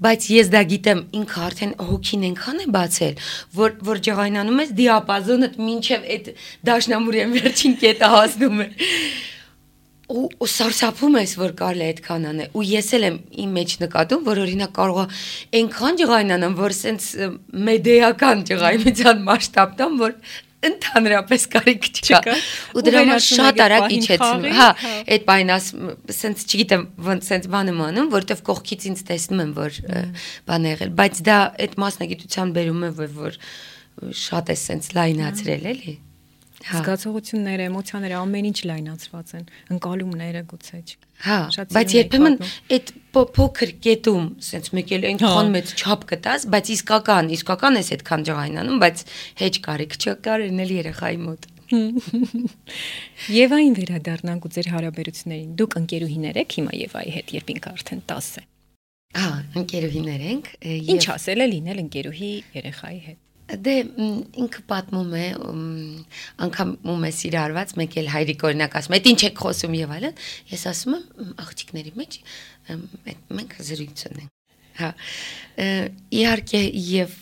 բայց ես դա գիտեմ, ինքը արդեն հոգին այնքան է բացել, որ որ ջղայնանում ես դիապազոնդ մինչև այդ դաշնամուրի վերջին կետը հասնում է։ Ու ու սարսափում ես, որ կարելի է այդքան անել, ու ես էլ եմ իմ մեջ նկատում, որ օրինակ կարող է այնքան ջղայնանամ, որ սենց մեդիական ջղայնության մասշտաբ տամ, որ ընդհանրապես կարիք չկա ու դրա համար շատ արագ իջեցնում հա այդ բանին ասենց չգիտեմ ոնց սենց բան եմ անում որովհետև կողքից ինձ տեսնում եմ որ բան է եղել բայց դա այդ մասնագիտության բերում է որ շատ է սենց լայնացրել էլի զգացողությունները էմոցիաները ամեն ինչ լայնացված են ընկալումները գուցե հա բայց երբեմն այդ փոքր կետում սենց մեկ էլ այնքան մեծ չափ կտաս բայց իսկական իսկական էս այդքան ջղայնանում բայց հեչ կարիք չկար էնել երեխայի մոտ Եվային վերադառնանք ու ձեր հարաբերություններին դուք ընկերուհիներ եք հիմա Եվայի հետ երբ ինքը արդեն տասը հա ընկերուհիներ ենք ինչ ասել է լինել ընկերուհի երեխայի հետ Դե ինքը պատմում է անգամ ում է սիրարված մեկ էլ հայրիկ օրինակ ասում այդ ինչ եք խոսում եւ այլն ես ասում եմ աղջիկների մեջ մենք զրույց ունենք հա իհարկե եւ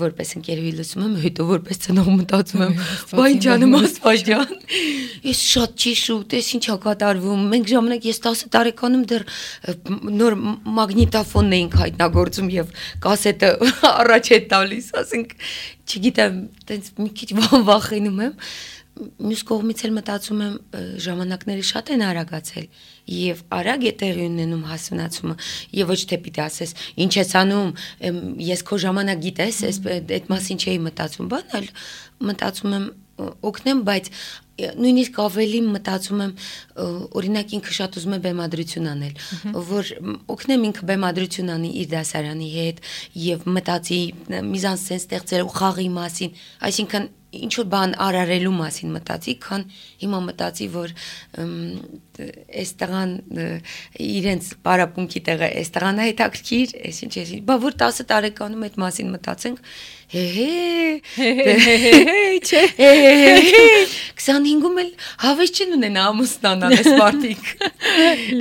որպես ընկերուհի լսում եմ հետո որպես ծնող մտածում եմ բայ ջանում աստվածյան ես շատ չի շուտ ես ինչա կատարվում մենք ժամանակ ես տասը տարեկանում դեռ նոր մագնիտոֆոնն էինք հայտնագործում եւ կասետը առաջ է տալիս ասենք չգիտեմ տենց մի քիչ վախենում եմ մյուս կողմից էլ մտածում եմ ժամանակները շատ են արագացել եւ արագ է տեղի ունենում հասունացումը եւ ոչ թե պիտի ասես ինչ ես անում ես քո ժամանակ գիտես այդ մասին չէի մտածում բան այլ մտածում եմ օգնեմ բայց նույնիսկ ավելի մտածում եմ օրինակ ինքը շատ ուզում է բեմադրություն անել որ օգնեմ ինքը բեմադրություն անի իր դասարանի հետ եւ մտածի միզանսեն ստեղծել ու խաղի մասին այսինքն ինչ որ բան արարելու մասին մտածի, քան հիմա մտածի, որ այս տղան իրենց պարապմունքի տեղը, այս տղան է հետաքրքիր, այս ինչ է, բա որ տասը տարեկանում այդ մասին մտածենք, հե-հե, չէ, քսանհինգում էլ հավես չեն ունենա ամուսնանալ այս մարդիկ։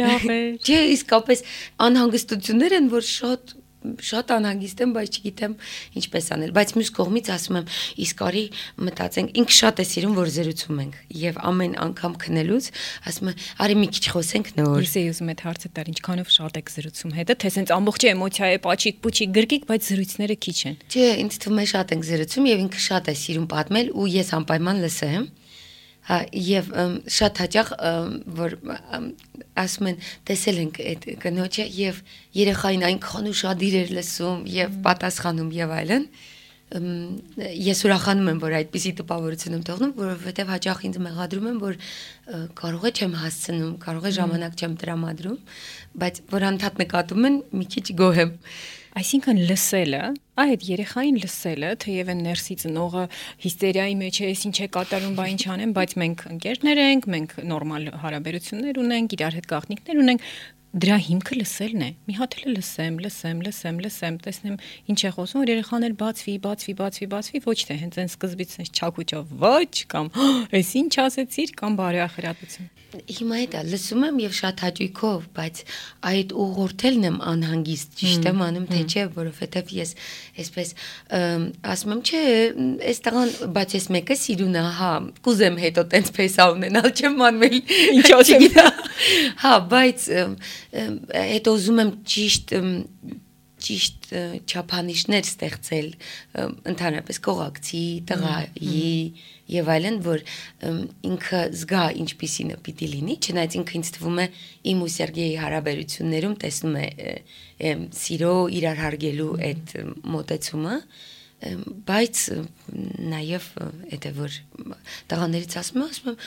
Լավ է։ Չէ, իսկապես անհանգստություններ են, որ շատ շատ անհանգիստ եմ, բայց չգիտեմ ինչպես անել, բայց մյուս կողմից ասում եմ, իսկ արի մտածենք, ինքը շատ է սիրում, որ զրուցում ենք, եւ ամեն անգամ քնելուց ասում եմ, արի մի քիչ խոսենք նոր։ Ես էի ուզում այդ հարցը տալ, ինչքանով շատ եք զրուցում հետը, թե սենց ամբողջ էմոցիա է, պաչիկ, պուչիկ, գրկիկ, բայց զրույցները քիչ են։ Չէ, ինձ թվում է շատ ենք զրուցում եւ ինքը շատ է սիրում պատմել ու ես անպայման լսեմ։ Հա եւ շատ հաճախ որ ասում են տեսել ենք այդ կնոջը եւ երեխային այնքան ուշադիր էր լսում եւ պատասխանում եւ այլն ես ուրախանում եմ որ այդպիսի տպավորություն եմ թողնում որովհետեւ հաճախ ինձ մեղադրում են որ կարող է չեմ հասցնում կարող է ժամանակ չեմ տրամադրում բայց որ անդադ նկատում են մի քիչ գոհ եմ Այսինքն լսելը, այդ երեխային լսելը, թեև են ներսի ծնողը հիստերիայի մեջ է, ինչ է կատարում, բա ինչ անեմ, բայց մենք ընկերներ ենք, մենք նորմալ հարաբերություններ ունենք, իրար հետ գաղտնիքներ ունենք, դրա հիմքը լսելն է։ Մի հատ էլ լսեմ, լսեմ, լսեմ, լսեմ, տեսնեմ ինչ է խոսում, որ երեխան էլ բացվի, բացվի, բացվի, բացվի, ոչ թե հենց այն սկզբից այս չակուճով ոչ կամ այս ինչ ասեցիր կամ բարեախրատություն։ Հիմա դա լսում եմ եւ շատ հաճույքով, բայց այդ ուղղորդելն եմ անհանգիստ, ճիշտ եմ անում, թե չէ, որովհետեւ ես այսպես ասում եմ, չէ, այս տղան, բայց ես մեկը սիրուն է, հա, կուզեմ հետո տենց փեսա ունենալ, չեմ անվել, ինչ ասեմ։ Հա, բայց հետո ուզում եմ ճիշտ ճիշտ չափանիշներ ստեղծել ընդհանրապես կողակցի, տղայի եւ այլն, որ ինքը զգա ինչպիսին է պիտի լինի, չնայած ինքը ինձ թվում է իմ ու Սերգեյի հարաբերություններում տեսնում է սիրո իրար հարգելու այդ մոտեցումը, բայց նաեւ այդ է որ տղաներից ասում եմ, ասում եմ,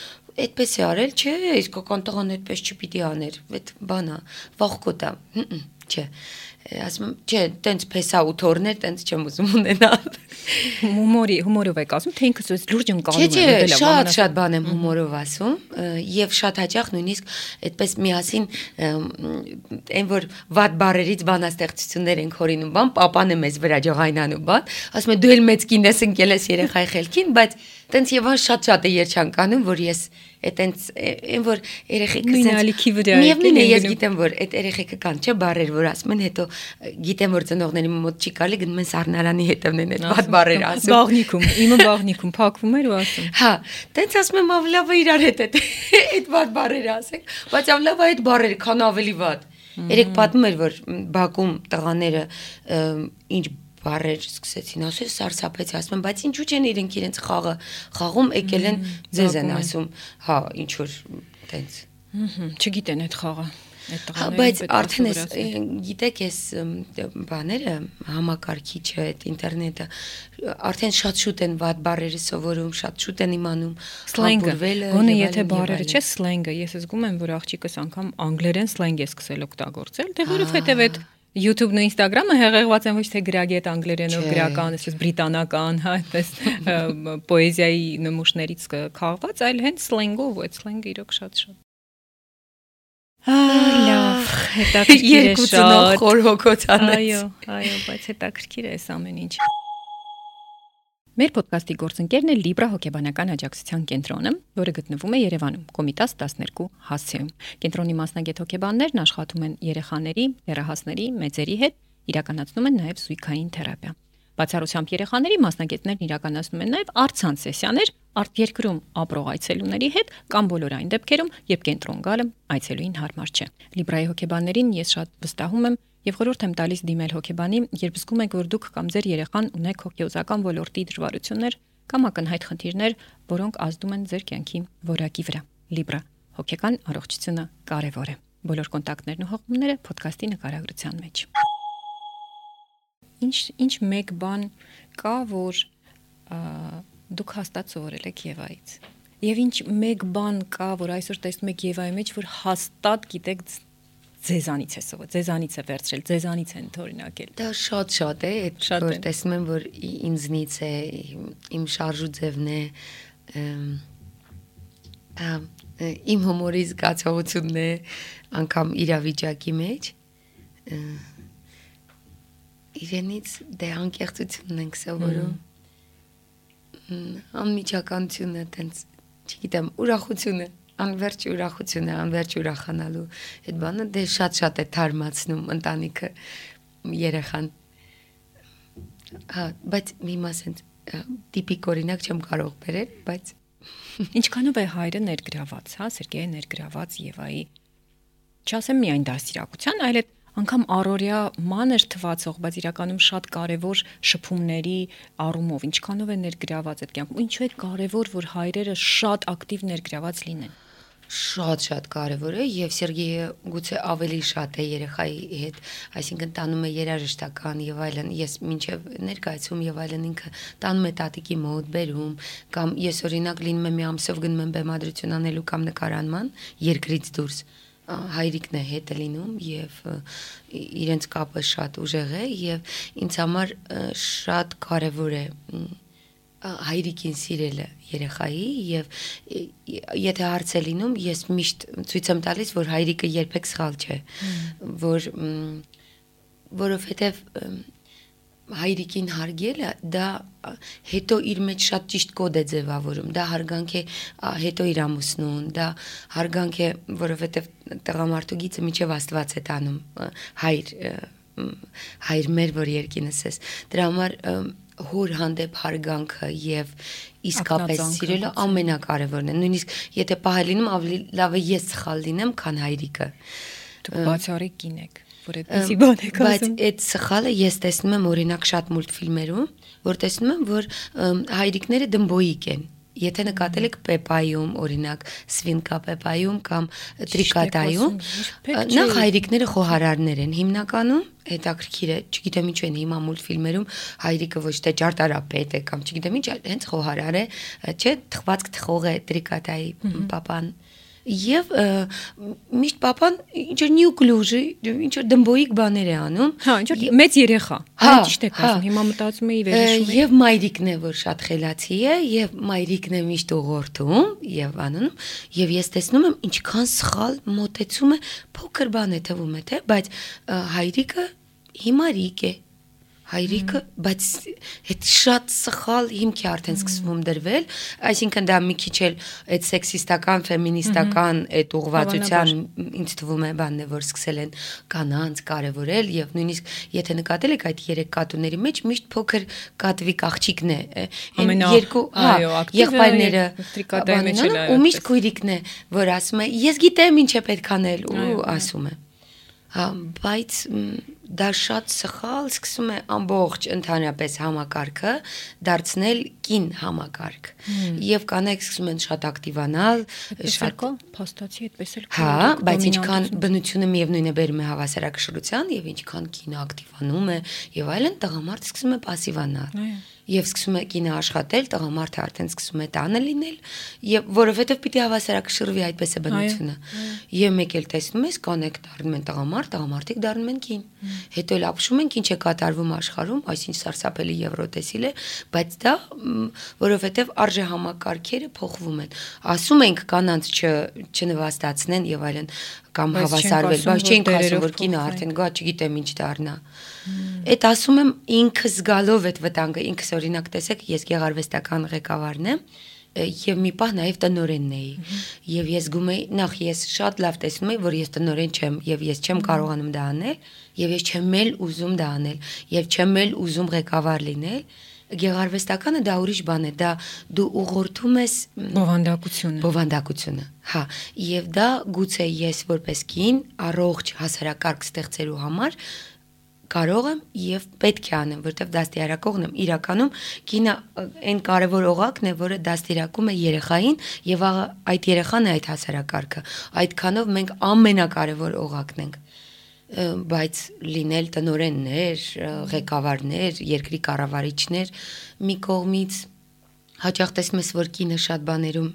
այդպես է արել, չէ, իսկական տղան այդպես չպիտի աներ, այդ բանա, վախկոտ է, չէ, ասում եմ, չէ, տենց փեսա ու թորներ, տենց չեմ ուզում ունենալ։ Հումորի, հումորով եք ասում, թե ինքս լուրջ ընկալում եմ։ Չէ, չէ, շատ շատ բան եմ հումորով ասում, եւ շատ հաճախ նույնիսկ այդպես միասին այն որ վատ բառերից բանաստեղծություններ ենք հորինում, բան, papan է մեզ վրա ջղայնանում, բան, ասում է դու էլ մեծ կին ես ընկել ես երեխայի խելքին, բայց տենց եւ շատ-շատ է երջանկանում, որ ես այտենց այն որ երեխեքը նույնալիքի վրա է։ Միևնույն է, ես գիտեմ որ այդ երեխեքը կան, չէ, բառեր որ ասում են, հետո գիտեմ որ ծնողների մոտ չի կարելի, գնում են սառնարանի հետևն են այդ վատ բառեր ասում։ Բաղնիկում, իմը բաղնիկում փակվում էր ու ասում։ Հա, տենց ասում եմ ավլավը իրար հետ այդ այդ վատ բառերը ասենք, բայց ավլավը այդ բառերը քան ավելի վատ։ Երեք պատմում էր որ Բաքում տղաները ինչ բառեր սկսեցին ասել, սարսափեց, ասում եմ, բայց ինչու չեն իրենք իրենց խաղը խաղում, եկել են ձեզ են ասում, հա, ինչ որ տենց։ Չգիտեն այդ խաղը, այդ տղաները։ Բայց արդեն ես գիտեք, ես բաները, համակարգիչը, այդ ինտերնետը, արդեն շատ շուտ են վատ բառերը սովորում, շատ շուտ են իմանում, սլենգը, գոնե եթե բառերը չէ սլենգը, ես զգում եմ, որ աղջիկս անգամ անգլերեն սլենգ է սկսել օգտագործել, թե որովհետև այդ YouTube-ն ու Instagram-ը հեղեղված են ոչ թե գրագետ անգլերենով գրական, այսպես բրիտանական, հա, այսպես պոեզիայի նմուշներից քաղված, այլ հենց սլենգով, այդ սլենգը իրոք շատ-շատ։ Լավ, հետաքրքիր է շատ։ Երկու խորհոքոցանեց։ Այո, այո, բայց հետաքրքիր է այս ամեն ինչ։ Մեր ոդկասթի գործընկերն է Libra հոգեբանական աջակցության կենտրոնը, որը գտնվում է Երևանում, Կոմիտաս տասներկու հասցեում։ Կենտրոնի մասնագետ հոգեբաններն աշխատում են երեխաների, դեռահասների, մեծերի հետ, իրականացնում են նաև զույգային թերապիա։ Բացառությամբ երեխաների մասնագետներն իրականացնում են նաև առցանց սեսիաներ արտերկրում ապրող այցելուների հետ կամ բոլոր այն դեպքերում, երբ կենտրոն գալը այցելուին հարմար չէ։ Libra-ի հոգեբաններին ես շատ վստահում եմ եւ խորհուրդ եմ տալիս դիմել հոգեբանի, երբ զգում եք, որ դուք կամ ձեր երեխան ունեք հոգեոզական ոլորտի դժվարություններ կամ ակնհայտ խնդիրներ, որոնք ազդում են ձեր կյանքի որակի վրա։ Libra հոգեկան առողջությունը կարևոր է։ Բոլոր կոնտակտներն ու հղումները ոդկասթի նկարագրության մեջ։ Ինչ ինչ մեկ բան կա, որ դուք հաստատ սովորել եք Եվայից։ Եվ ինչ մեկ բան կա, որ այսօր տեսնում եք Եվայի մեջ, որ հաստատ գիտեք ձեզանից է սովորել, ձեզանից է վերցրել, ձեզանից են օրինակել։ Դա շատ-շատ է, այդ որ տեսնում եմ, որ ինձնից է, իմ շարժու ձևն է, իմ հումորի զգացողությունն է, անգամ իրավիճակի մեջ, իրենից դե անկեղծությունն ենք սովորում, անմիջականությունը, տենց, չգիտեմ, ուրախությունը, անվերջ ուրախությունը, անվերջ ուրախանալու, այդ բանը դե շատ-շատ է թարմացնում ընտանիքը, երեխան, հա, բայց մի մասենց տիպիկ օրինակ չեմ կարող բերել, բայց ինչքանով է հայրը ներգրաված, հա, Սերգեյը ներգրաված Եվայի, չասեմ միայն դաստիարակության, այլ այդ անգամ առօրյա մանր թվացող, բայց իրականում շատ կարևոր շփումների առումով, ինչքանով է ներգրաված այդ կյանքում, ինչու է կարևոր, որ հայրերը շատ ակտիվ ներգրաված լինեն։ Շատ-շատ կարևոր է եւ Սերգեյը գուցե ավելի շատ է երեխայի հետ, այսինքն տանում է երաժշտական եւ այլն, ես մինչեւ ներկայացում եւ այլն ինքը տանում է տատիկի մոտ, բերում, կամ ես օրինակ լինում եմ մի ամսով գնում եմ բեմադրություն անելու կամ նկարանման երկրից դուրս, հայրիկն է հետը լինում եւ իրենց կապը շատ ուժեղ է եւ ինձ համար շատ կարեւոր է հայրիկին սիրելը երեխայի եւ եթե հարց է լինում ես միշտ ցույց եմ տալիս որ հայրիկը երբեք սխալ չէ որ որովհետեւ հայրիկին հարգելը դա հետո իր մեջ շատ ճիշտ կոդ է ձևավորում դա հարգանք է հետո իր ամուսնուն դա հարգանք է որովհետեւ տղամարդու գիծը միջև Աստված է տանում հայր հայր մեր որ երկինս ես դրա համար հոր հանդեպ հարգանքը եւ իսկապես սիրելը ամենակարևորն է նույնիսկ եթե պահել լինում ավելի լավ է ես սխալ լինեմ քան հայրիկը դուք բացառիկ կին եք որ այդպեսի բան եք ասում բայց այդ սխալը ես տեսնում եմ օրինակ շատ մուլտֆիլմերում որ տեսնում եմ որ հայրիկները դմբոյիկ են Եթե նկատել եք Պեպայում, օրինակ, Սվինկա Պեպայում կամ Տրիկատայում, նախ հայրիկները խոհարարներ են հիմնականում, հետաքրքիր է, չգիտեմ ինչ են հիմա մուլտֆիլմերում հայրիկը ոչ թե ճարտարապետ է կամ չգիտեմ ինչ, հենց խոհարար է, չէ, թխվածք թխող է Տրիկատայի պապան Եվ միշտ պապան ինչ-որ նյուկլյուժի, ինչ-որ դմբոյիկ բաներ է անում։ Հա, ինչ-որ մեծ երեխա։ Հա, ճիշտ եք ասում, հիմա մտածում էի վերհիշում։ Եվ մայրիկն է, որ շատ խելացի է, եւ մայրիկն է միշտ ուղղորդում եւ անանում, եւ ես տեսնում եմ ինչքան սխալ մոտեցում է, փոքր բան է թվում է, թե, բայց հայրիկը հիմարիկ է։ Հայրիկը, բայց այդ շատ սխալ հիմք է արդեն սկսվում դրվել, այսինքն դա մի քիչ էլ այդ սեքսիստական, ֆեմինիստական այդ ուղղվածության ինձ թվում է բանն է, որ սկսել են կանանց կարևորել եւ նույնիսկ եթե նկատել եք այդ երեք կատուների մեջ միշտ փոքր կատվիկ աղջիկն է, այն երկու, հա, եղբայրները ու միշտ քույրիկն է, որ ասում է, ես գիտեմ ինչ է պետք անել ու ասում է։ Հա, բայց դա շատ սխալ սկսում է ամբողջ ընդհանրապես համակարգը դարձնել կին համակարգ եւ կանայք սկսում են շատ ակտիվանալ շատ փաստացի այդպես էլ հա բայց ինչքան բնությունը միևնույն է բերում է հավասարակշռության եւ ինչքան կինը ակտիվանում է եւ այլն տղամարդը սկսում է пассивանալ Եվ սկսում է կինը աշխատել, տղամարդը արդեն սկսում է տանը լինել, եւ որովհետեւ պիտի հավասարակշռվի այդպես է բնությունը։ Եվ մեկ էլ տեսնում ես, կանեք դառնում են տղամարդ, տղամարդիկ դառնում են կին։ Հետո էլ ապշում են ինչ է կատարվում աշխարհում, այսինչ սարսափելի եվրոտեսիլ է, բայց դա որովհետեւ արժե համակարգերը փոխվում են։ Ասում ենք կանանց չնվաստացնեն եւ այլն կամ հավասարվել, բայց չենք ասում, որ կինը արդեն գա, չգիտեմ ինչ դառնա։ Այդ ասում եմ ինքս զգալով այդ վտանգը, ինքս օրինակ տեսեք, ես գեղարվեստական ղեկավարն եմ եւ մի պահ նաեւ տնօրենն էի։ Եվ ես գում էի, նախ ես շատ լավ տեսնում էի, որ ես տնօրեն չեմ եւ ես չեմ կարողանում դա անել, եւ ես չեմ էլ ուզում դա անել, եւ չեմ էլ ուզում ղեկավար լինել։ Գեղարվեստականը դա ուրիշ բան է, դա դու ուղղորդում ես բովանդակությունը։ Բովանդակությունը, հա, եւ դա գուցե ես որպես կին առողջ հասարակարգ ստեղծելու համար կարող եմ եւ պետք է անեմ, որտեվ դաստիարակողն եմ, իրականում կինը այն կարևոր օղակն է, որը դաստիարակում է երեխային եւ այդ երեխան է այդ հասարակարգը։ Այդքանով մենք ամենակարևոր օղակն ենք։ Բայց լինել տնօրեններ, ղեկավարներ, երկրի կառավարիչներ մի կողմից հաճախ տեսնում ես, որ կինը շատ բաներում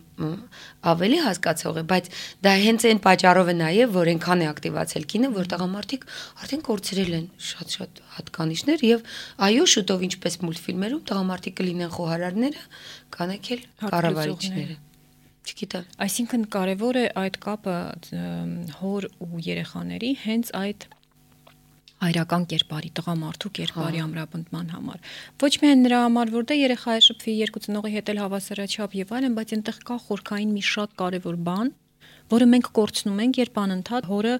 ավելի հասկացող է, բայց դա հենց այն պատճառով է նաև, որ այնքան է ակտիվացել կինը, որ տղամարդիկ արդեն կորցրել են շատ-շատ հատկանիշներ եւ այո, շուտով ինչպես մուլտֆիլմերում տղամարդիկ կլինեն խոհարարները, կանեք էլ կառավարիչները։ Չգիտեմ։ Այսինքն կարևոր է այդ կապը հոր ու երեխաների հենց այդ հայրական կերպարի, տղամարդու կերպարի ամրապնդման համար։ Ոչ միայն նրա համար, որ դա երեխա է շփվի երկու ծնողի հետ էլ հավասարաչափ եւ այլն, բայց այնտեղ կա խորքային մի շատ կարևոր բան, որը մենք կորցնում ենք, երբ անընդհատ հորը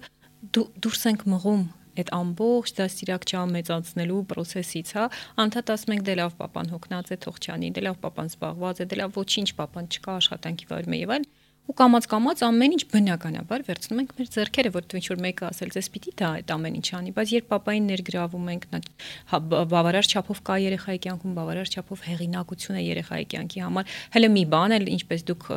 դուրս ենք մղում այդ ամբողջ դաստիարակչա մեծացնելու process-ից, հա, անդադ ասում ենք դե լավ papan հոգնած է, թող չանի, դե լավ papan զբաղված է, դե լավ ոչինչ papan չկա, աշխատանքի վարում է եւ այլն։ Ու կամած-կամած ամեն ինչ բնականաբար վերցնում ենք մեր ձեռքերը, որտեղ ինչ որ մեկը ասել, ձեզ պիտի դա այդ ամեն ինչ անի, բայց երբ papayin ներգրավում ենք, բավարար չափով կա երեխայի կյանքում, բավարար չափով հեղինակություն է երեխայի կյանքի համար, հələ մի բան էլ, ինչպես դուք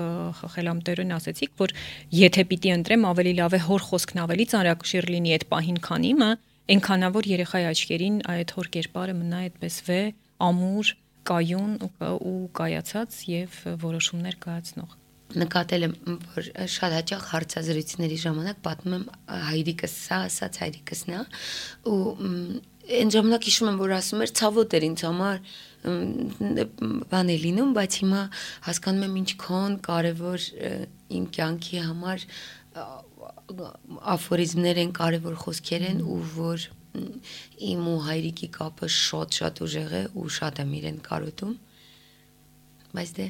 խելամտերեն ասեցիք, որ եթե պիտի ընտրեմ, ավելի լավ է հոր խոսքն ավելի ծանրակշիռ լինի այդ պահին, քան իմը, այնքանավոր երեխայի աչքերին այդ հոր կերպարը մնա այդպես վե, ամուր, կայուն ու կայացած եւ որոշումներ կայացնող։ Նկատել եմ, որ շատ հաճախ հարցազրույցների ժամանակ պատմում եմ հայրիկս սա ասաց, հայրիկս նա ու այն ժամանակ հիշում եմ, որ ասում էր ցավոտ էր ինձ համար բան է լինում, բայց հիմա հասկանում եմ ինչքան կարևոր իմ կյանքի համար աֆորիզմներ են, կարևոր խոսքեր են ու որ իմ ու հայրիկի կապը շատ-շատ ուժեղ է ու շատ եմ իրեն կարոտում, բայց դե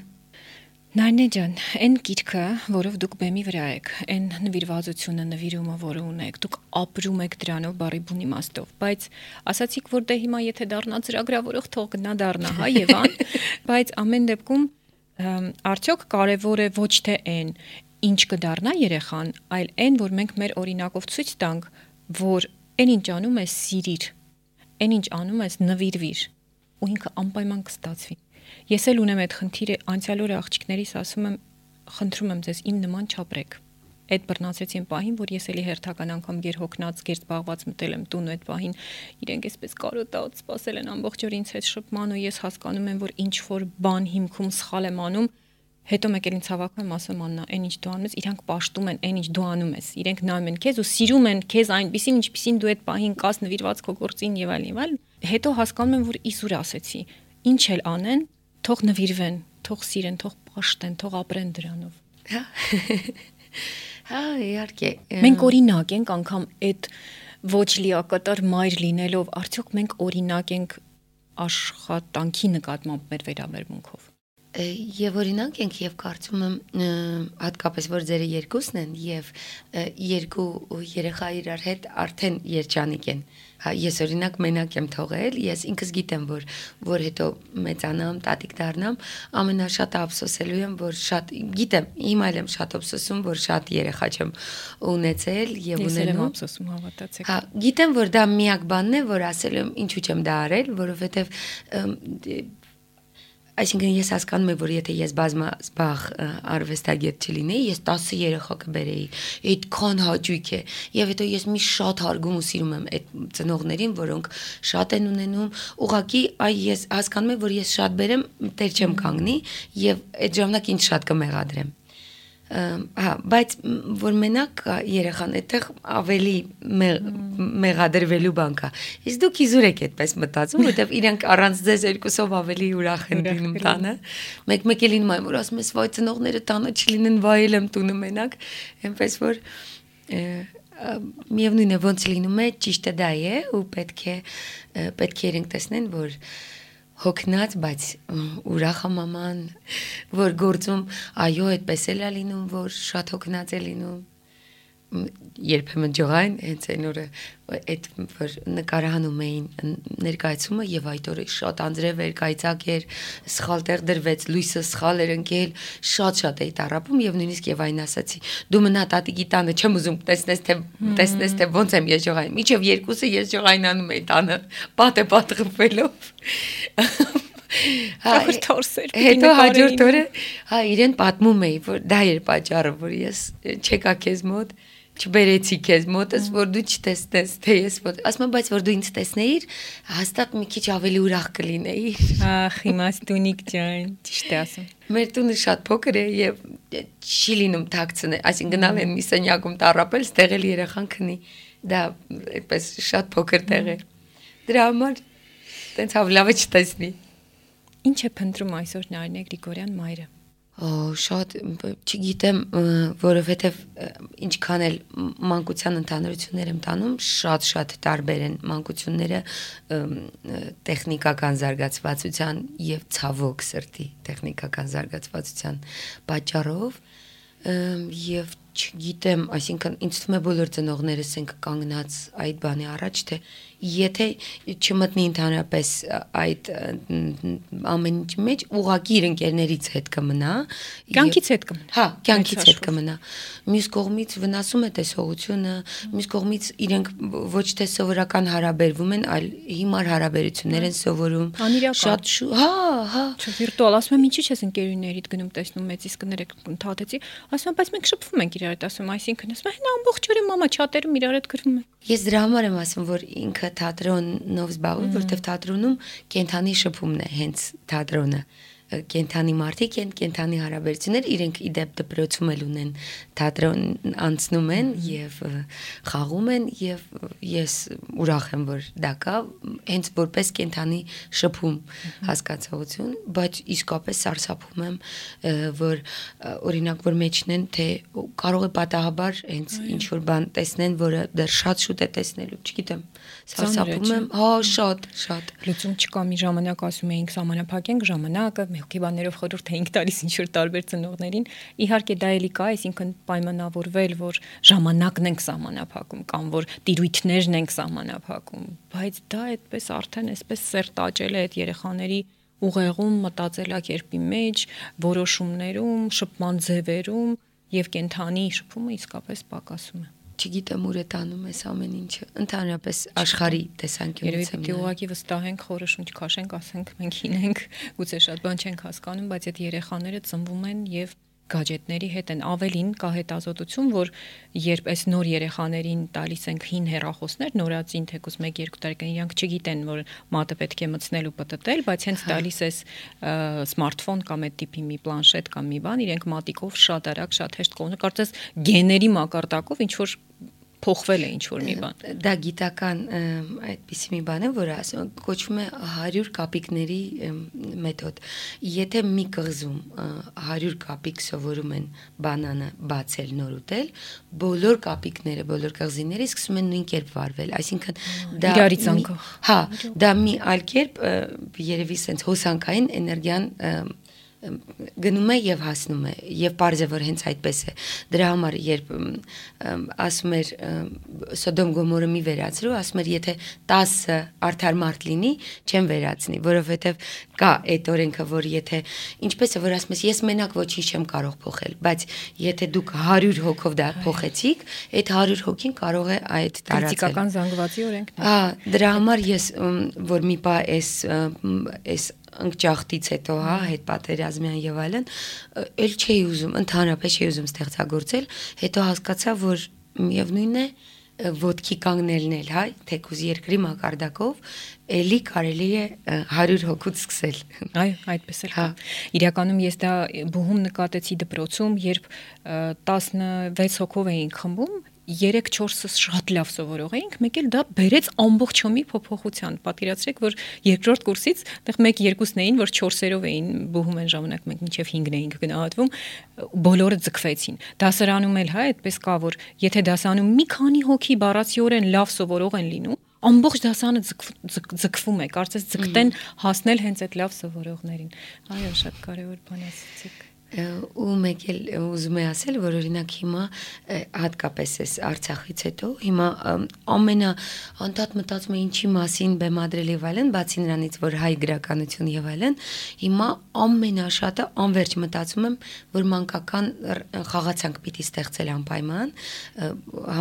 Նարնե ջան, այն գիրքը, որով դուք բեմի վրա եք, այն նվիրվածությունը, նվիրումը, որը ունեք, դուք ապրում եք դրանով բարի բուն իմաստով, բայց ասացիք, որ դե հիմա եթե դառնա ծրագրավորող, թող գնա դառնա, հա, Եվան, բայց ամեն դեպքում արդյոք կարևոր է ոչ թե այն, ինչ կդառնա երեխան, այլ այն, որ մենք մեր օրինակով ցույց տանք, որ այն ինչ անում ես սիրիր, այն ինչ անում ես նվիրվիր, ու ինքը անպայման կստացվի։ Ես էլ ունեմ այդ խնդիրը, անցյալ օրը աղջիկներիս ասում եմ, խնդրում եմ ձեզ իմ նման չապրեք։ Այդ բռնացրեցին պահին, որ ես էլի հերթական անգամ գերհոգնած, գերզբաղված մտել եմ տուն այդ պահին, իրենք էսպես կարոտած, սպասել են ամբողջ օր ինձ հետ շփման ու ես հասկանում եմ, որ ինչ որ բան հիմքում սխալ եմ անում, հետո մեկ էլ ինձ հավաքում եմ, ասում Աննա, այն ինչ դու անում ես, իրանք պաշտում են այն ինչ դու անում ես, իրենք նայում են քեզ ու սիրում են քեզ այնպեսին, ինչպեսին դու այդ պահին կաս նվիրված քո գործին եւ այլն եւ այլն։ Հետո հասկանում եմ, որ իսուր ասեցի, ինչ էլ անեն, թող նվիրվեն, թող սիրեն, թող պաշտեն, թող ապրեն դրանով։ Հա։ Հա, իհարկե։ Մենք օրինակ ենք անգամ այդ ոչ լիակատար մայր լինելով, արդյոք մենք օրինակ ենք աշխատանքի նկատմամբ մեր վերաբերմունքով։ Եվ օրինակ ենք եւ կարծում եմ հատկապես որ ձերը երկուսն են եւ երկու երեխա իրար հետ արդեն երջանիկ են։ Հա ես օրինակ մենակ եմ թողել, ես ինքս գիտեմ որ որ հետո մեծանամ, տատիկ դառնամ, ամենաշատը ափսոսելու եմ, որ շատ գիտեմ, հիմա էլ եմ շատ ափսոսում, որ շատ երեխա չեմ ունեցել եւ ունենում։ Ես եմ ափսոսում, հավատացեք։ Հա, գիտեմ որ դա միակ բանն է, որ ասել եմ ինչու չեմ դա արել, որովհետեւ Այսինքն ես հասկանում եմ, որ եթե ես բազմազբաղ արվեստագետ չլինեի, ես տասը երեխա կբերեի, այդքան հաճույք է, եւ հետո ես մի շատ հարգում ու սիրում եմ այդ ծնողներին, որոնք շատ են ունենում, ուղղակի այ ես հասկանում եմ, որ ես շատ բերեմ, տեր չեմ կանգնի եւ այդ ժամանակ ինձ շատ կմեղադրեմ։ Հա, բայց որ մենակ երեխան այդտեղ ավելի մեղադրվելու բան կա։ Իսկ դուք իզուր եք այդպես մտածում, որովհետև իրանք առանց ձեզ երկուսով ավելի ուրախ են լինում տանը։ Մեկ-մեկ էլ լինում է, որ ասում ես, վայ ծնողները տանը չլինեն, վայել եմ տունը մենակ, այնպես որ միևնույն է ոնց լինում է, ճիշտը դա է ու պետք է պետք է իրենք տեսնեն, որ հոգնած, բայց ուրախ է մաման, որ գործում, այո, այդպես էլ է լինում, որ շատ հոգնած է լինում, երբեմն ջղային, հենց այն օրը այդ որ նկարահանում էին ներկայացումը եւ այդ օրը շատ անձրև էր, կայծակ էր, սխալ տեղ դրվեց, լույսը սխալ էր ընկել, շատ-շատ էի տառապում եւ նույնիսկ եւ այն ասացի, դու մնա տատիկի տանը, չեմ ուզում տեսնես թե տեսնես թե ոնց եմ ես ջղային, միջև երկուսը ես ջղայնանում էի տանը, պատը պատղվելով։ Ահա թորսեր։ Հետո հաջորդ օրը, հա, իրեն պատմում էի, որ դա էր պատճառը, որ ես չեկա քեզ մոտ, չբերեցի քեզ մոտս, որ դու չտեսնես, թե ես մոտ։ Ասում եմ, բայց որ դու ինձ տեսնեիր, հաստատ մի քիչ ավելի ուրախ կլինեիր։ Ախ, իմաստունիկ ջան, ճիշտ է ասում։ Մեր տունը շատ փոքր է եւ չի լինում թաքցնել, այսինքն գնալ են մի սենյակում տառապել, ստեղ էլ երեխան քնի։ Դա այդպես շատ փոքր տեղ է։ Դրա համար տենց հավլավ է չտեսնի։ Ինչ է փնտրում այսօր Նարինե Գրիգորյան մայրը։ Օ, շատ չգիտեմ, որովհետև ինչքան էլ մանկության ընդհանրություններ եմ տանում, շատ-շատ տարբեր են մանկությունները տեխնիկական զարգացվածության եւ ցավոք սրտի տեխնիկական զարգացվածության պատճառով եւ չգիտեմ, այսինքն ինձ թվում է բոլոր ծնողներս ենք կանգնած այդ բանի առաջ, թե եթե չմտնի ընդհանրապես այդ ամեն ինչի մեջ, ուղղակի իր ընկերներից հետ կմնա, կյանքից հետ կմնա։ Հա, կյանքից հետ կմնա։ Մյուս կողմից վնասում է տեսողությունը, մյուս կողմից իրենք ոչ թե սովորական հարաբերվում են, այլ հիմար հարաբերություններ են սովորում։ Շատ հա, հա։ Վիրտուալ, ասում եմ, ինչի՞ չես ընկերուներիդ գնում տեսնում մեծից կներեք ընդհատեցի, ասում եմ, բայց մենք շփվում ենք իրար հետ, ասում, այսինքն ասում եմ, հա ամբողջ օրը մամա չաթերում իրար հետ գրվում ենք։ Ես դրա համար եմ ասում, որ ինքը թատրոնով զբաղվում, որտեվ թատրոնում կենթանի շփումն է, հենց թատրոնը, կենթանի մարդիկ են, կենթանի հարաբերություններ, իրենք իդեպ դպրոցում էլ ունեն, թատրոն անցնում են եւ խաղում են եւ ես ուրախ եմ, որ դա կա, հենց որպես կենթանի շփում հասկացողություն, բայց իսկապես սարսափում եմ, որ օրինակ որ մեջն են, թե կարող է պատահաբար հենց ինչ որ բան տեսնեն, որը դեռ շատ շուտ է տեսնելու, չգիտեմ, սարսափում եմ, հա, շատ, շատ։ Լուծում չկա, մի ժամանակ ասում էինք սահմանափակենք ժամանակը, հոգեբաններով խորհուրդ էինք տալիս ինչ որ տարբեր ծնողներին։ Իհարկե դա էլի կա, այսինքն պայմանավորվել, որ ժամանակն ենք սահմանափակում կամ որ տիրույթներն ենք սահմանափակում, բայց դա այդպես արդեն այսպես սերտ աճել է այդ երեխաների ուղեղում, մտածելակերպի մեջ, որոշումներում, շփման ձևերում եւ կենթանի շփումը իսկապես պակասում է։ Չգիտեմ ուր է տանում այս ամեն ինչը, ընդհանրապես աշխարհի տեսանկյունից եմ։ Երևի ուղղակի վստահենք, խորոշում չքաշենք, ասենք մենք ինենք, գուցե շատ բան չենք հասկանում, բայց այդ երեխաները ծնվում են եւ գաջետների հետ են, ավելին կա հետազոտություն, որ երբ այս նոր երեխաներին տալիս ենք հին հեռախոսներ, նորածին թեկուզ մեկ-երկու տարեկան, իրանք չգիտեն, որ մատը պետք է մտցնել ու պտտել, բայց հենց տալիս էս սմարթֆոն կամ այդ տիպի մի պլանշետ կամ մի բան, իրենք մատիկով շատ արագ, շատ հեշտ կողմն, կարծես գեների մակարդակով ինչ որ փոխվել է ինչ որ մի բան։ Դա գիտական այդպիսի մի բան է, որ ասում կոչվում է հարյուր կապիկների մեթոդ։ Եթե մի կղզում հարյուր կապիկ սովորում են բանանը բացել, նոր ուտել, բոլոր կապիկները, բոլոր կղզիները սկսում են նույն կերպ վարվել, այսինքն դա իրարից անկախ։ Հա, դա մի այլ կերպ երևի sense հոսանքային էներգիան գնում է եւ հասնում է եւ պարզ է որ հենց այդպես է դրա համար երբ ասում էր Սոդոմ Գոմորը մի վերացրու ասում էր եթե տասը արդար մարդ լինի չեմ վերացնի որովհետեւ կա այդ օրենքը որ եթե ինչպես է որ ասում ես ես մենակ ոչինչ չեմ կարող փոխել բայց եթե դուք հարյուր հոգով դա փոխեցիք այդ հարյուր հոգին կարող է այդ տարածել ֆիզիկական զանգվածի օրենքն է հա դրա համար ես որ մի բա էս էս ընկճախտից հետո, հա, հետ պատերազմյան եւ այլն, էլ չէի ուզում, ընդհանրապես չէի ուզում ստեղծագործել, հետո հասկացա, որ միևնույնն է ոտքի կանգնելն էլ, հա, թեկուզ երկրի մակարդակով, էլի կարելի է հարյուր հոգուց սկսել։ Այո, այդպես էլ կա։ Իրականում ես դա բուհում նկատեցի դպրոցում, երբ տասնվեց հոգով էինք խմբում, երեք-չորսը շատ լավ սովորող էինք, մեկ էլ դա բերեց ամբողջոմի փոփոխության։ Պատկերացրեք, որ երկրորդ կուրսից այդտեղ մեկ-երկուսն էին, որ չորսերով էին բուհում են ժամանակ մենք մինչև հինգն էինք գնահատվում, բոլորը ձգվեցին։ Դասարանում էլ հա այդպես կա, որ եթե դասանում մի քանի հոգի բառացիորեն լավ սովորող են լինում, ամբողջ դասանը ձգվում է, կարծես ձգտեն հասնել հենց այդ լավ սովորողներին։ Այո, շատ կարևոր բան ասացիք։ Ու մեկ էլ ուզում եմ ասել, որ օրինակ հիմա հատկապես էս Արցախից հետո հիմա ամենա անդադ մտածում եմ ինչի մասին բեմադրել եւ այլն, բացի նրանից, որ հայ գրականություն եւ այլն, հիմա ամենաշատը անverջ մտածում եմ, որ մանկական խաղացանք պիտի ստեղծել անպայման,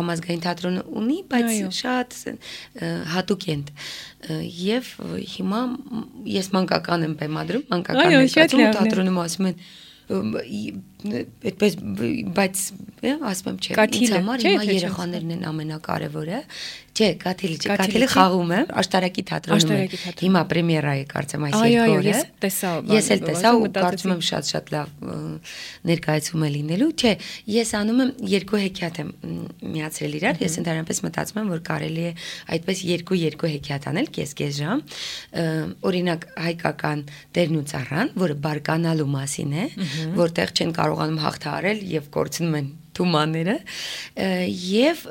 համազգային թատրոնը ունի, բայց շատ հատուկ են եւ հիմա ես մանկական եմ բեմադրում, մանկական ներկայացում թատրոնում ասում են այդպես բայց ասում եմ չէ ինձ համար հիմա երեխաներն են ամենակարևորը չէ կաթիլի չէ կաթիլի խաղում եմ աշտարակի թատրոնում հիմա պրեմիերա է կարծեմ այս երկու օրը ես էլ տեսա ու կարծում եմ շատ-շատ լավ ներկայացում է լինելու չէ ես անում եմ երկու հեքիաթ եմ միացրել իրար ես ընդհանրապես մտածում եմ որ կարելի է այդպես երկու-երկու հեքիաթ անել կես-կես ժամ օրինակ հայկական Տերն ու ծառան որը բարկանալու մասին է որտեղ չեն կարողանում հաղթահարել եւ կորցնում են թումաները եւ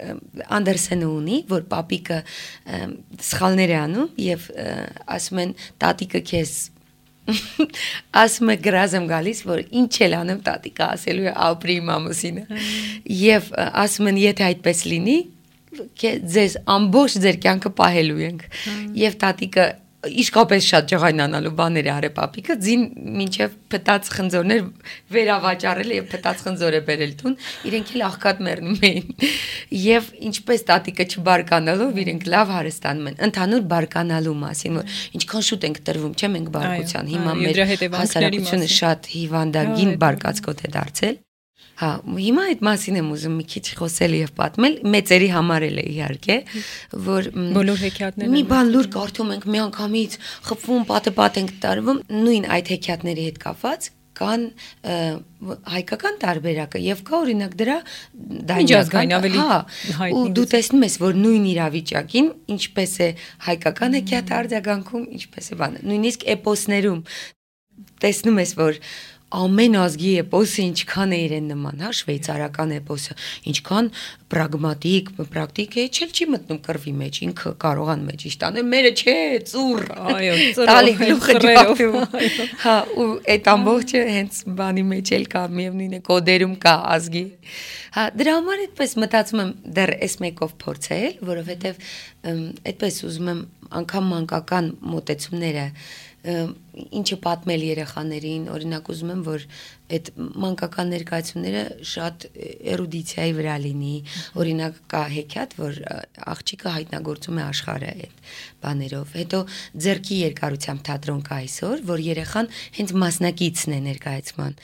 Անդերսենը ունի, որ պապիկը սխալներ է անում եւ ասում են տատիկը քեզ ասում է գրազ եմ գալիս, որ ինչ էլ անեմ տատիկը ասելու է ապրի իմ ամուսինը եւ ասում են եթե այդպես լինի ձեզ ամբողջ ձեր կյանքը պահելու ենք եւ տատիկը իսկապես շատ ջղայնանալու բաներ է արել պապիկը ձին մինչև փտած խնձորներ վերավաճառել եւ փտած խնձոր է բերել տուն իրենք էլ աղքատ մեռնում էին եւ ինչպես տատիկը չբարկանալով իրենք լավ հարստանում են ընդհանուր բարկանալու մասին որ ինչքան շուտ ենք տրվում չէ մենք բարկության հիմա մեր հասարակությունը շատ հիվանդագին բարկացկոտ է դարձել Հա, հիմա այդ մասին եմ ուզում մի քիչ խոսել եւ պատմել, մեծերի համար էլ է իհարկե, որ բոլոր հեքիաթները մի բան լուր կարդում ենք, միանգամից խփվում, պատը-պատ ենք տարվում, նույն այդ հեքիաթների հետ կապված կան հայկական տարբերակը եւ կա օրինակ դրա դայնական ավելի ու դու տեսնում ես որ նույն իրավիճակին ինչպես է հայկական հեքիաթ արձագանքում, ինչպես է բանը, նույնիսկ էպոսներում տեսնում ես որ ամեն ազգի էպոսը ինչքան է իրեն նման, հա, շվեյցարական էպոսը, ինչքան պրագմատիկ, պրակտիկ է, չէ՞ չի մտնում կռվի մեջ, ինքը կարողան մեջ իշտանել, մերը չէ, ծուռ, այո, տալի գլուխը ջախտում, հա, ու այդ ամբողջը հենց բանի մեջ էլ կա, միևնույն է, կոդերում կա ազգի, հա, դրա համար այդպես մտածում եմ դեռ էս մեկով փորձել, որովհետև այդպես ուզում եմ անգամ մանկական մոտեցումները ինչը պատմել երեխաներին, օրինակ ուզում եմ, որ այդ մանկական ներկայացումները շատ էրուդիցիայի վրա լինի, օրինակ կա հեքիաթ, որ աղջիկը հայտնագործում է աշխարհը այդ բաներով, հետո ձեռքի երկարությամբ թատրոն կա այսօր, որ երեխան հենց մասնակիցն է ներկայացման։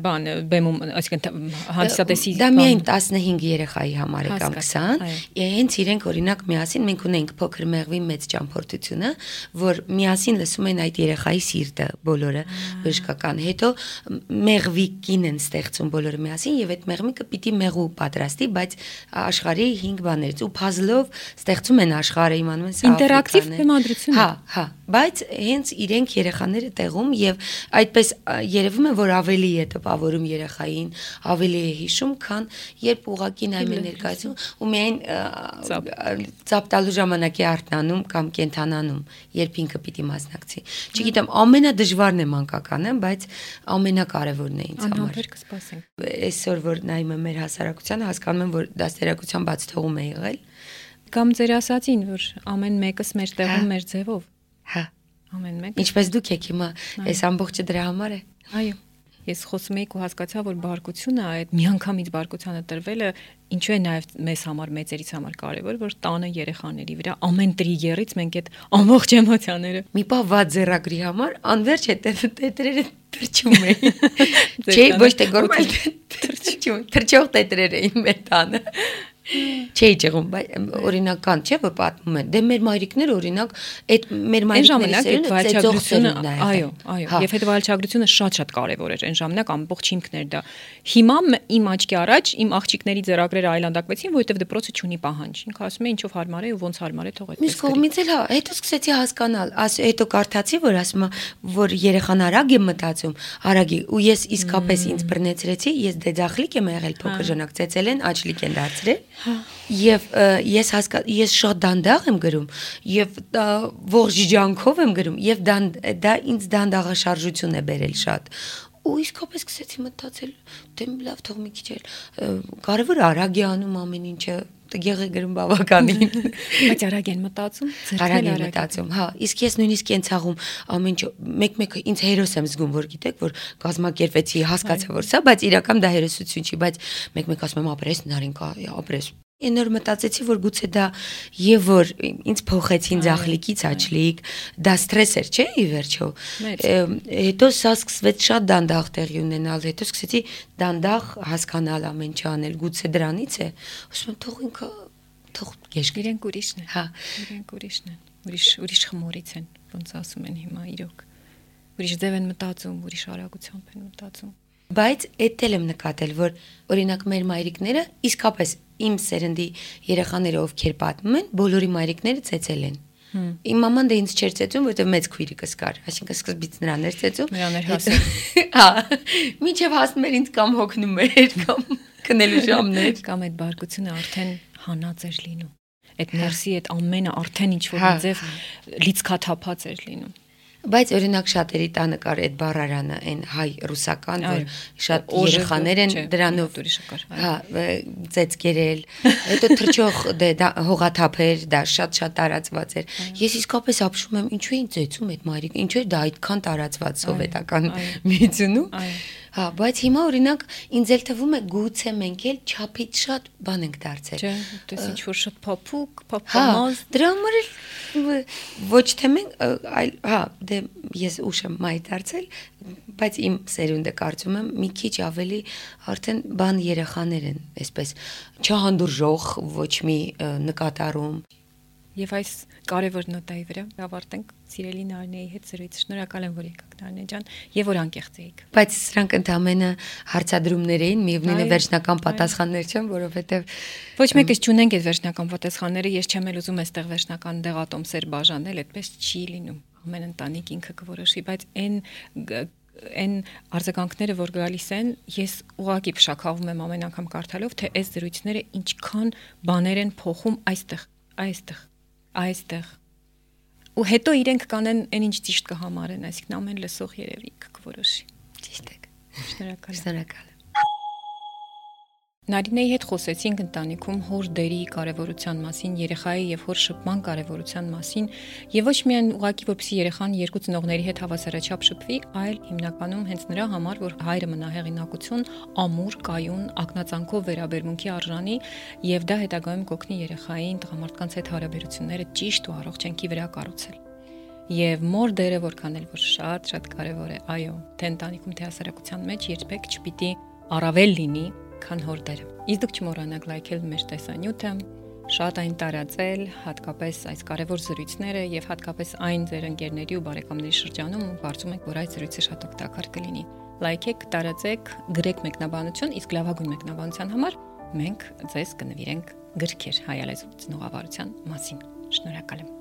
Բանը բեմում, այսինքն հանդիսատեսի դա միայն տասնհինգ երեխայի համար է կամ քսան, հենց իրենք օրինակ միասին մենք ունենք փոքր մեղվի մեծ ճամփորդությունը, որ միասին լսում են այդ երեխայի սիրտը բոլորը բժշկական, հետո մեղվիկին են ստեղծում բոլորը միասին եւ այդ մեղմիկը պիտի մեղու պատրաստի, բայց աշխարհի հինգ բաներից ու puzzle-ով ստեղծում են աշխարհը, իմանում են սա ինտերակտիվ բեմադրություն։ Հա, հա, բայց հենց իրենք երեխաները տեղում եւ այդպես երևում է որ ավելի է տպավորում երեխային, ավելի է հիշում, քան երբ ուղակի նայում են ներկայացում ու միայն ծափ տալու ժամանակի արթնանում կամ կենթանանում, երբ ինքը պիտի մասնակցի։ Չգիտեմ, ամենադժվարն է մանկականը, բայց ամենակարևորն է ինձ համար։ Անհամբեր կսպասենք։ Այսօր որ նայում եմ մեր հասարակությանը, հասկանում եմ, որ դաստիարակության բաց թողում է եղել։ Կամ ձեր ասածին, որ ամեն մեկս մեր տեղում, մեր ձևով։ Հա։ Ամեն մեկը։ Ինչպես դուք եք հիմա, այս ամբողջը դրա համար է։ Այո։ Ես խոսում եի ու հասկացա, որ բարկությունը, այդ միանգամից բարկությանը տրվելը ինչու է նաև մեզ համար, մեծերից համար կարևոր, որ տանը երեխաների վրա ամեն տրիգերից մենք այդ ամբողջ էմոցիաները մի պահ վատ ձեռագրի համար անverջ է տետրերը թրջում էին։ Չէ, ոչ թե գորմալ թրջում, թրջող տետրեր էին մեր տանը։ Չէի ճեղում, բայց օրինական չէ, որ պատմում են։ Դե մեր մայրիկները օրինակ այդ մեր մայրիկների սերունդը ծեծողությունը, այո, այո, եւ այդ վարչագրությունը շատ-շատ կարեւոր էր այն ժամանակ ամբողջ հիմքն էր դա։ Հիմա իմ աչքի առաջ իմ աղջիկների ձեռագրերը այլանդակվեցին, որովհետեւ դպրոցը չունի պահանջ։ Ինքը ասում է ինչով հարմար է ու ոնց հարմար է թող այդպես։ Մյուս կողմից էլ հա, հետո սկսեցի հասկանալ, հետո կարդացի, որ ասում է, որ երեխան արագ է մտածում, արագ է, ու ես իսկապես ինձ բռնեցրեցի, ես դեձախլիկ եմ եղել փոքր ժամանակ, ծեծել են, աչլիկ են դարձրել։ Եվ ես հասկա ես շատ դանդաղ եմ գրում եւ ողջ ջանքով եմ գրում եւ դա ինձ դանդաղաշարժություն է բերել շատ ու իսկապես սկսեցի մտածել դե լավ թող մի քիչ էլ կարևոր արագ է անում ամեն ինչը տղեղ է գրում բավականին բայց արագ են մտածում արագ են մտածում հա իսկ ես նույնիսկ կենցաղում ամեն ինչ մեկ-մեկը ինձ հերոս եմ զգում որ գիտեք որ կազմակերպեցի հասկացա որ սա բայց իրական դա հերոսություն չի բայց մեկ-մեկ ասում եմ ապրես նարինկա ապրես Ինոր մտածեցի, որ գուցե դա եւ որ ինձ փոխեցին ձախլիկից աչլիկ, դա ստրես էր, չէ՞, ի վերջո։ Հետո սա սկսվեց շատ դանդաղ տեղի ունենալ, հետո սկսեցի դանդաղ հասկանալ ամեն ինչ անել, գուցե դրանից է։ Ասում եմ, թող ինքը թող գեշ իրենք ուրիշն են։ Հա, իրենք ուրիշն են։ Ուրիշ ուրիշ խմորից են, ոնց ասում են հիմա իրոք։ Ուրիշ ձև են մտածում, ուրիշ արագությամբ են մտածում։ Բայց այդ էլ եմ նկատել, որ օրինակ մեր մայրիկները իսկապես իմ սերնդի երեխաները ովքեր պատմում են, բոլորի մայրիկները ծեծել են։ Իմ մաման դե ինձ չէր ծեծում, որովհետև մեծ քույրիկս կար, այսինքն սկզբից նրան էր ծեծում։ Նրան էր հասնում։ Հա, մինչև հասնում էր ինձ կամ հոգնում էր, կամ քնելու ժամներ, կամ այդ բարկությունը արդեն հանած էր լինում։ Այդ ներսի այդ ամենը արդեն ինչ որ ձև լիցքաթափած էր լինում։ Բայց օրինակ շատերի տանը կար այդ բառարանը, այն հայ-ռուսական, որ շատ երեխաներ են դրանով հա, ծեծկերել, հետո թրջող հողաթափեր, դա շատ-շատ տարածված էր։ Ես իսկապես ապշում եմ, ինչու էին ծեծում այդ մայրիկ, ինչու է դա այդքան տարածված սովետական միությունում։ Հա, բայց հիմա օրինակ ինձ էլ թվում է գուցե մենք էլ չափից շատ բան ենք դարձել։ Չէ, դες ինչ որ շատ փափուկ, փափամազ։ Դրա համար էլ ոչ թե մենք, այլ հա, դե ես ուշ եմ մայր դարձել, բայց իմ սերունդը կարծում եմ մի քիչ ավելի արդեն բան երեխաներ են, այսպես չհանդուրժող ոչ մի նկատառում։ Եվ այս կարևոր նոտայի վրա ավարտենք սիրելի Նարինեի հետ զրույցը։ Շնորհակալ եմ, որ եկաք Նարինե ջան, եւ որ անկեղծ էիք։ Բայց սրանք ընդամենը հարցադրումներ էին, միևնույն է վերջնական պատասխաններ չեն, որովհետեւ ոչ մեկս չունենք այդ վերջնական պատասխանները, ես չեմ էլ ուզում այստեղ վերջնական դեղատոմսեր բաժանել, այդպես չի լինում։ Ամեն ընտանիք ինքը կորոշի, բայց այն այն արձագանքները, որ գալիս են, ես ուղղակի փշաքաղվում եմ ամեն անգամ կարդալով, թե այս զրույցները ինչքան բաներ են փոխում այստեղ, այստեղ, այստեղ։ Ու հետո իրենք կանեն այն ինչ ճիշտ կհամարեն, այսինքն ամեն լսող երևի կորոշի։ Ճիշտ է։ Շնորհակալ եմ։ Շնորհակալ եմ։ Նարինեի հետ խոսեցինք ընտանիքում հոր դերի կարևորության մասին, երեխայի եւ հոր շփման կարևորության մասին, եւ ոչ միայն ուղղակի որպեսզի երեխան երկու ծնողների հետ հավասարաչափ շփվի, այլ հիմնականում հենց նրա համար, որ հայրը մնա հեղինակություն, ամուր, կայուն, ակնածանքով վերաբերմունքի արժանի եւ դա հետագայում կօգնի երեխային տղամարդկանց հետ հարաբերությունները ճիշտ ու առողջ կյանքի վրա կառուցել։ Եվ մոր դերը որքան էլ որ շատ շատ կարևոր է, այո, թե ընտանիքում թե հասարակության մեջ երբեք չպիտի առավել լինի քան հոր դերը։ Իսկ դուք չմոռանաք լայքել մեր տեսանյութը, շատ այն տարածել, հատկապես այս կարևոր զրույցները եւ հատկապես այն ձեր ընկերների ու բարեկամների շրջանում, ու կարծում եք, որ այս զրույցը շատ օգտակար կլինի։ Լայքեք, տարածեք, գրեք մեկնաբանություն, իսկ լավագույն մեկնաբանության համար մենք ձեզ կնվիրենք գրքեր հայալեզու ծնողավարության մասին։ Շնորհակալ եմ։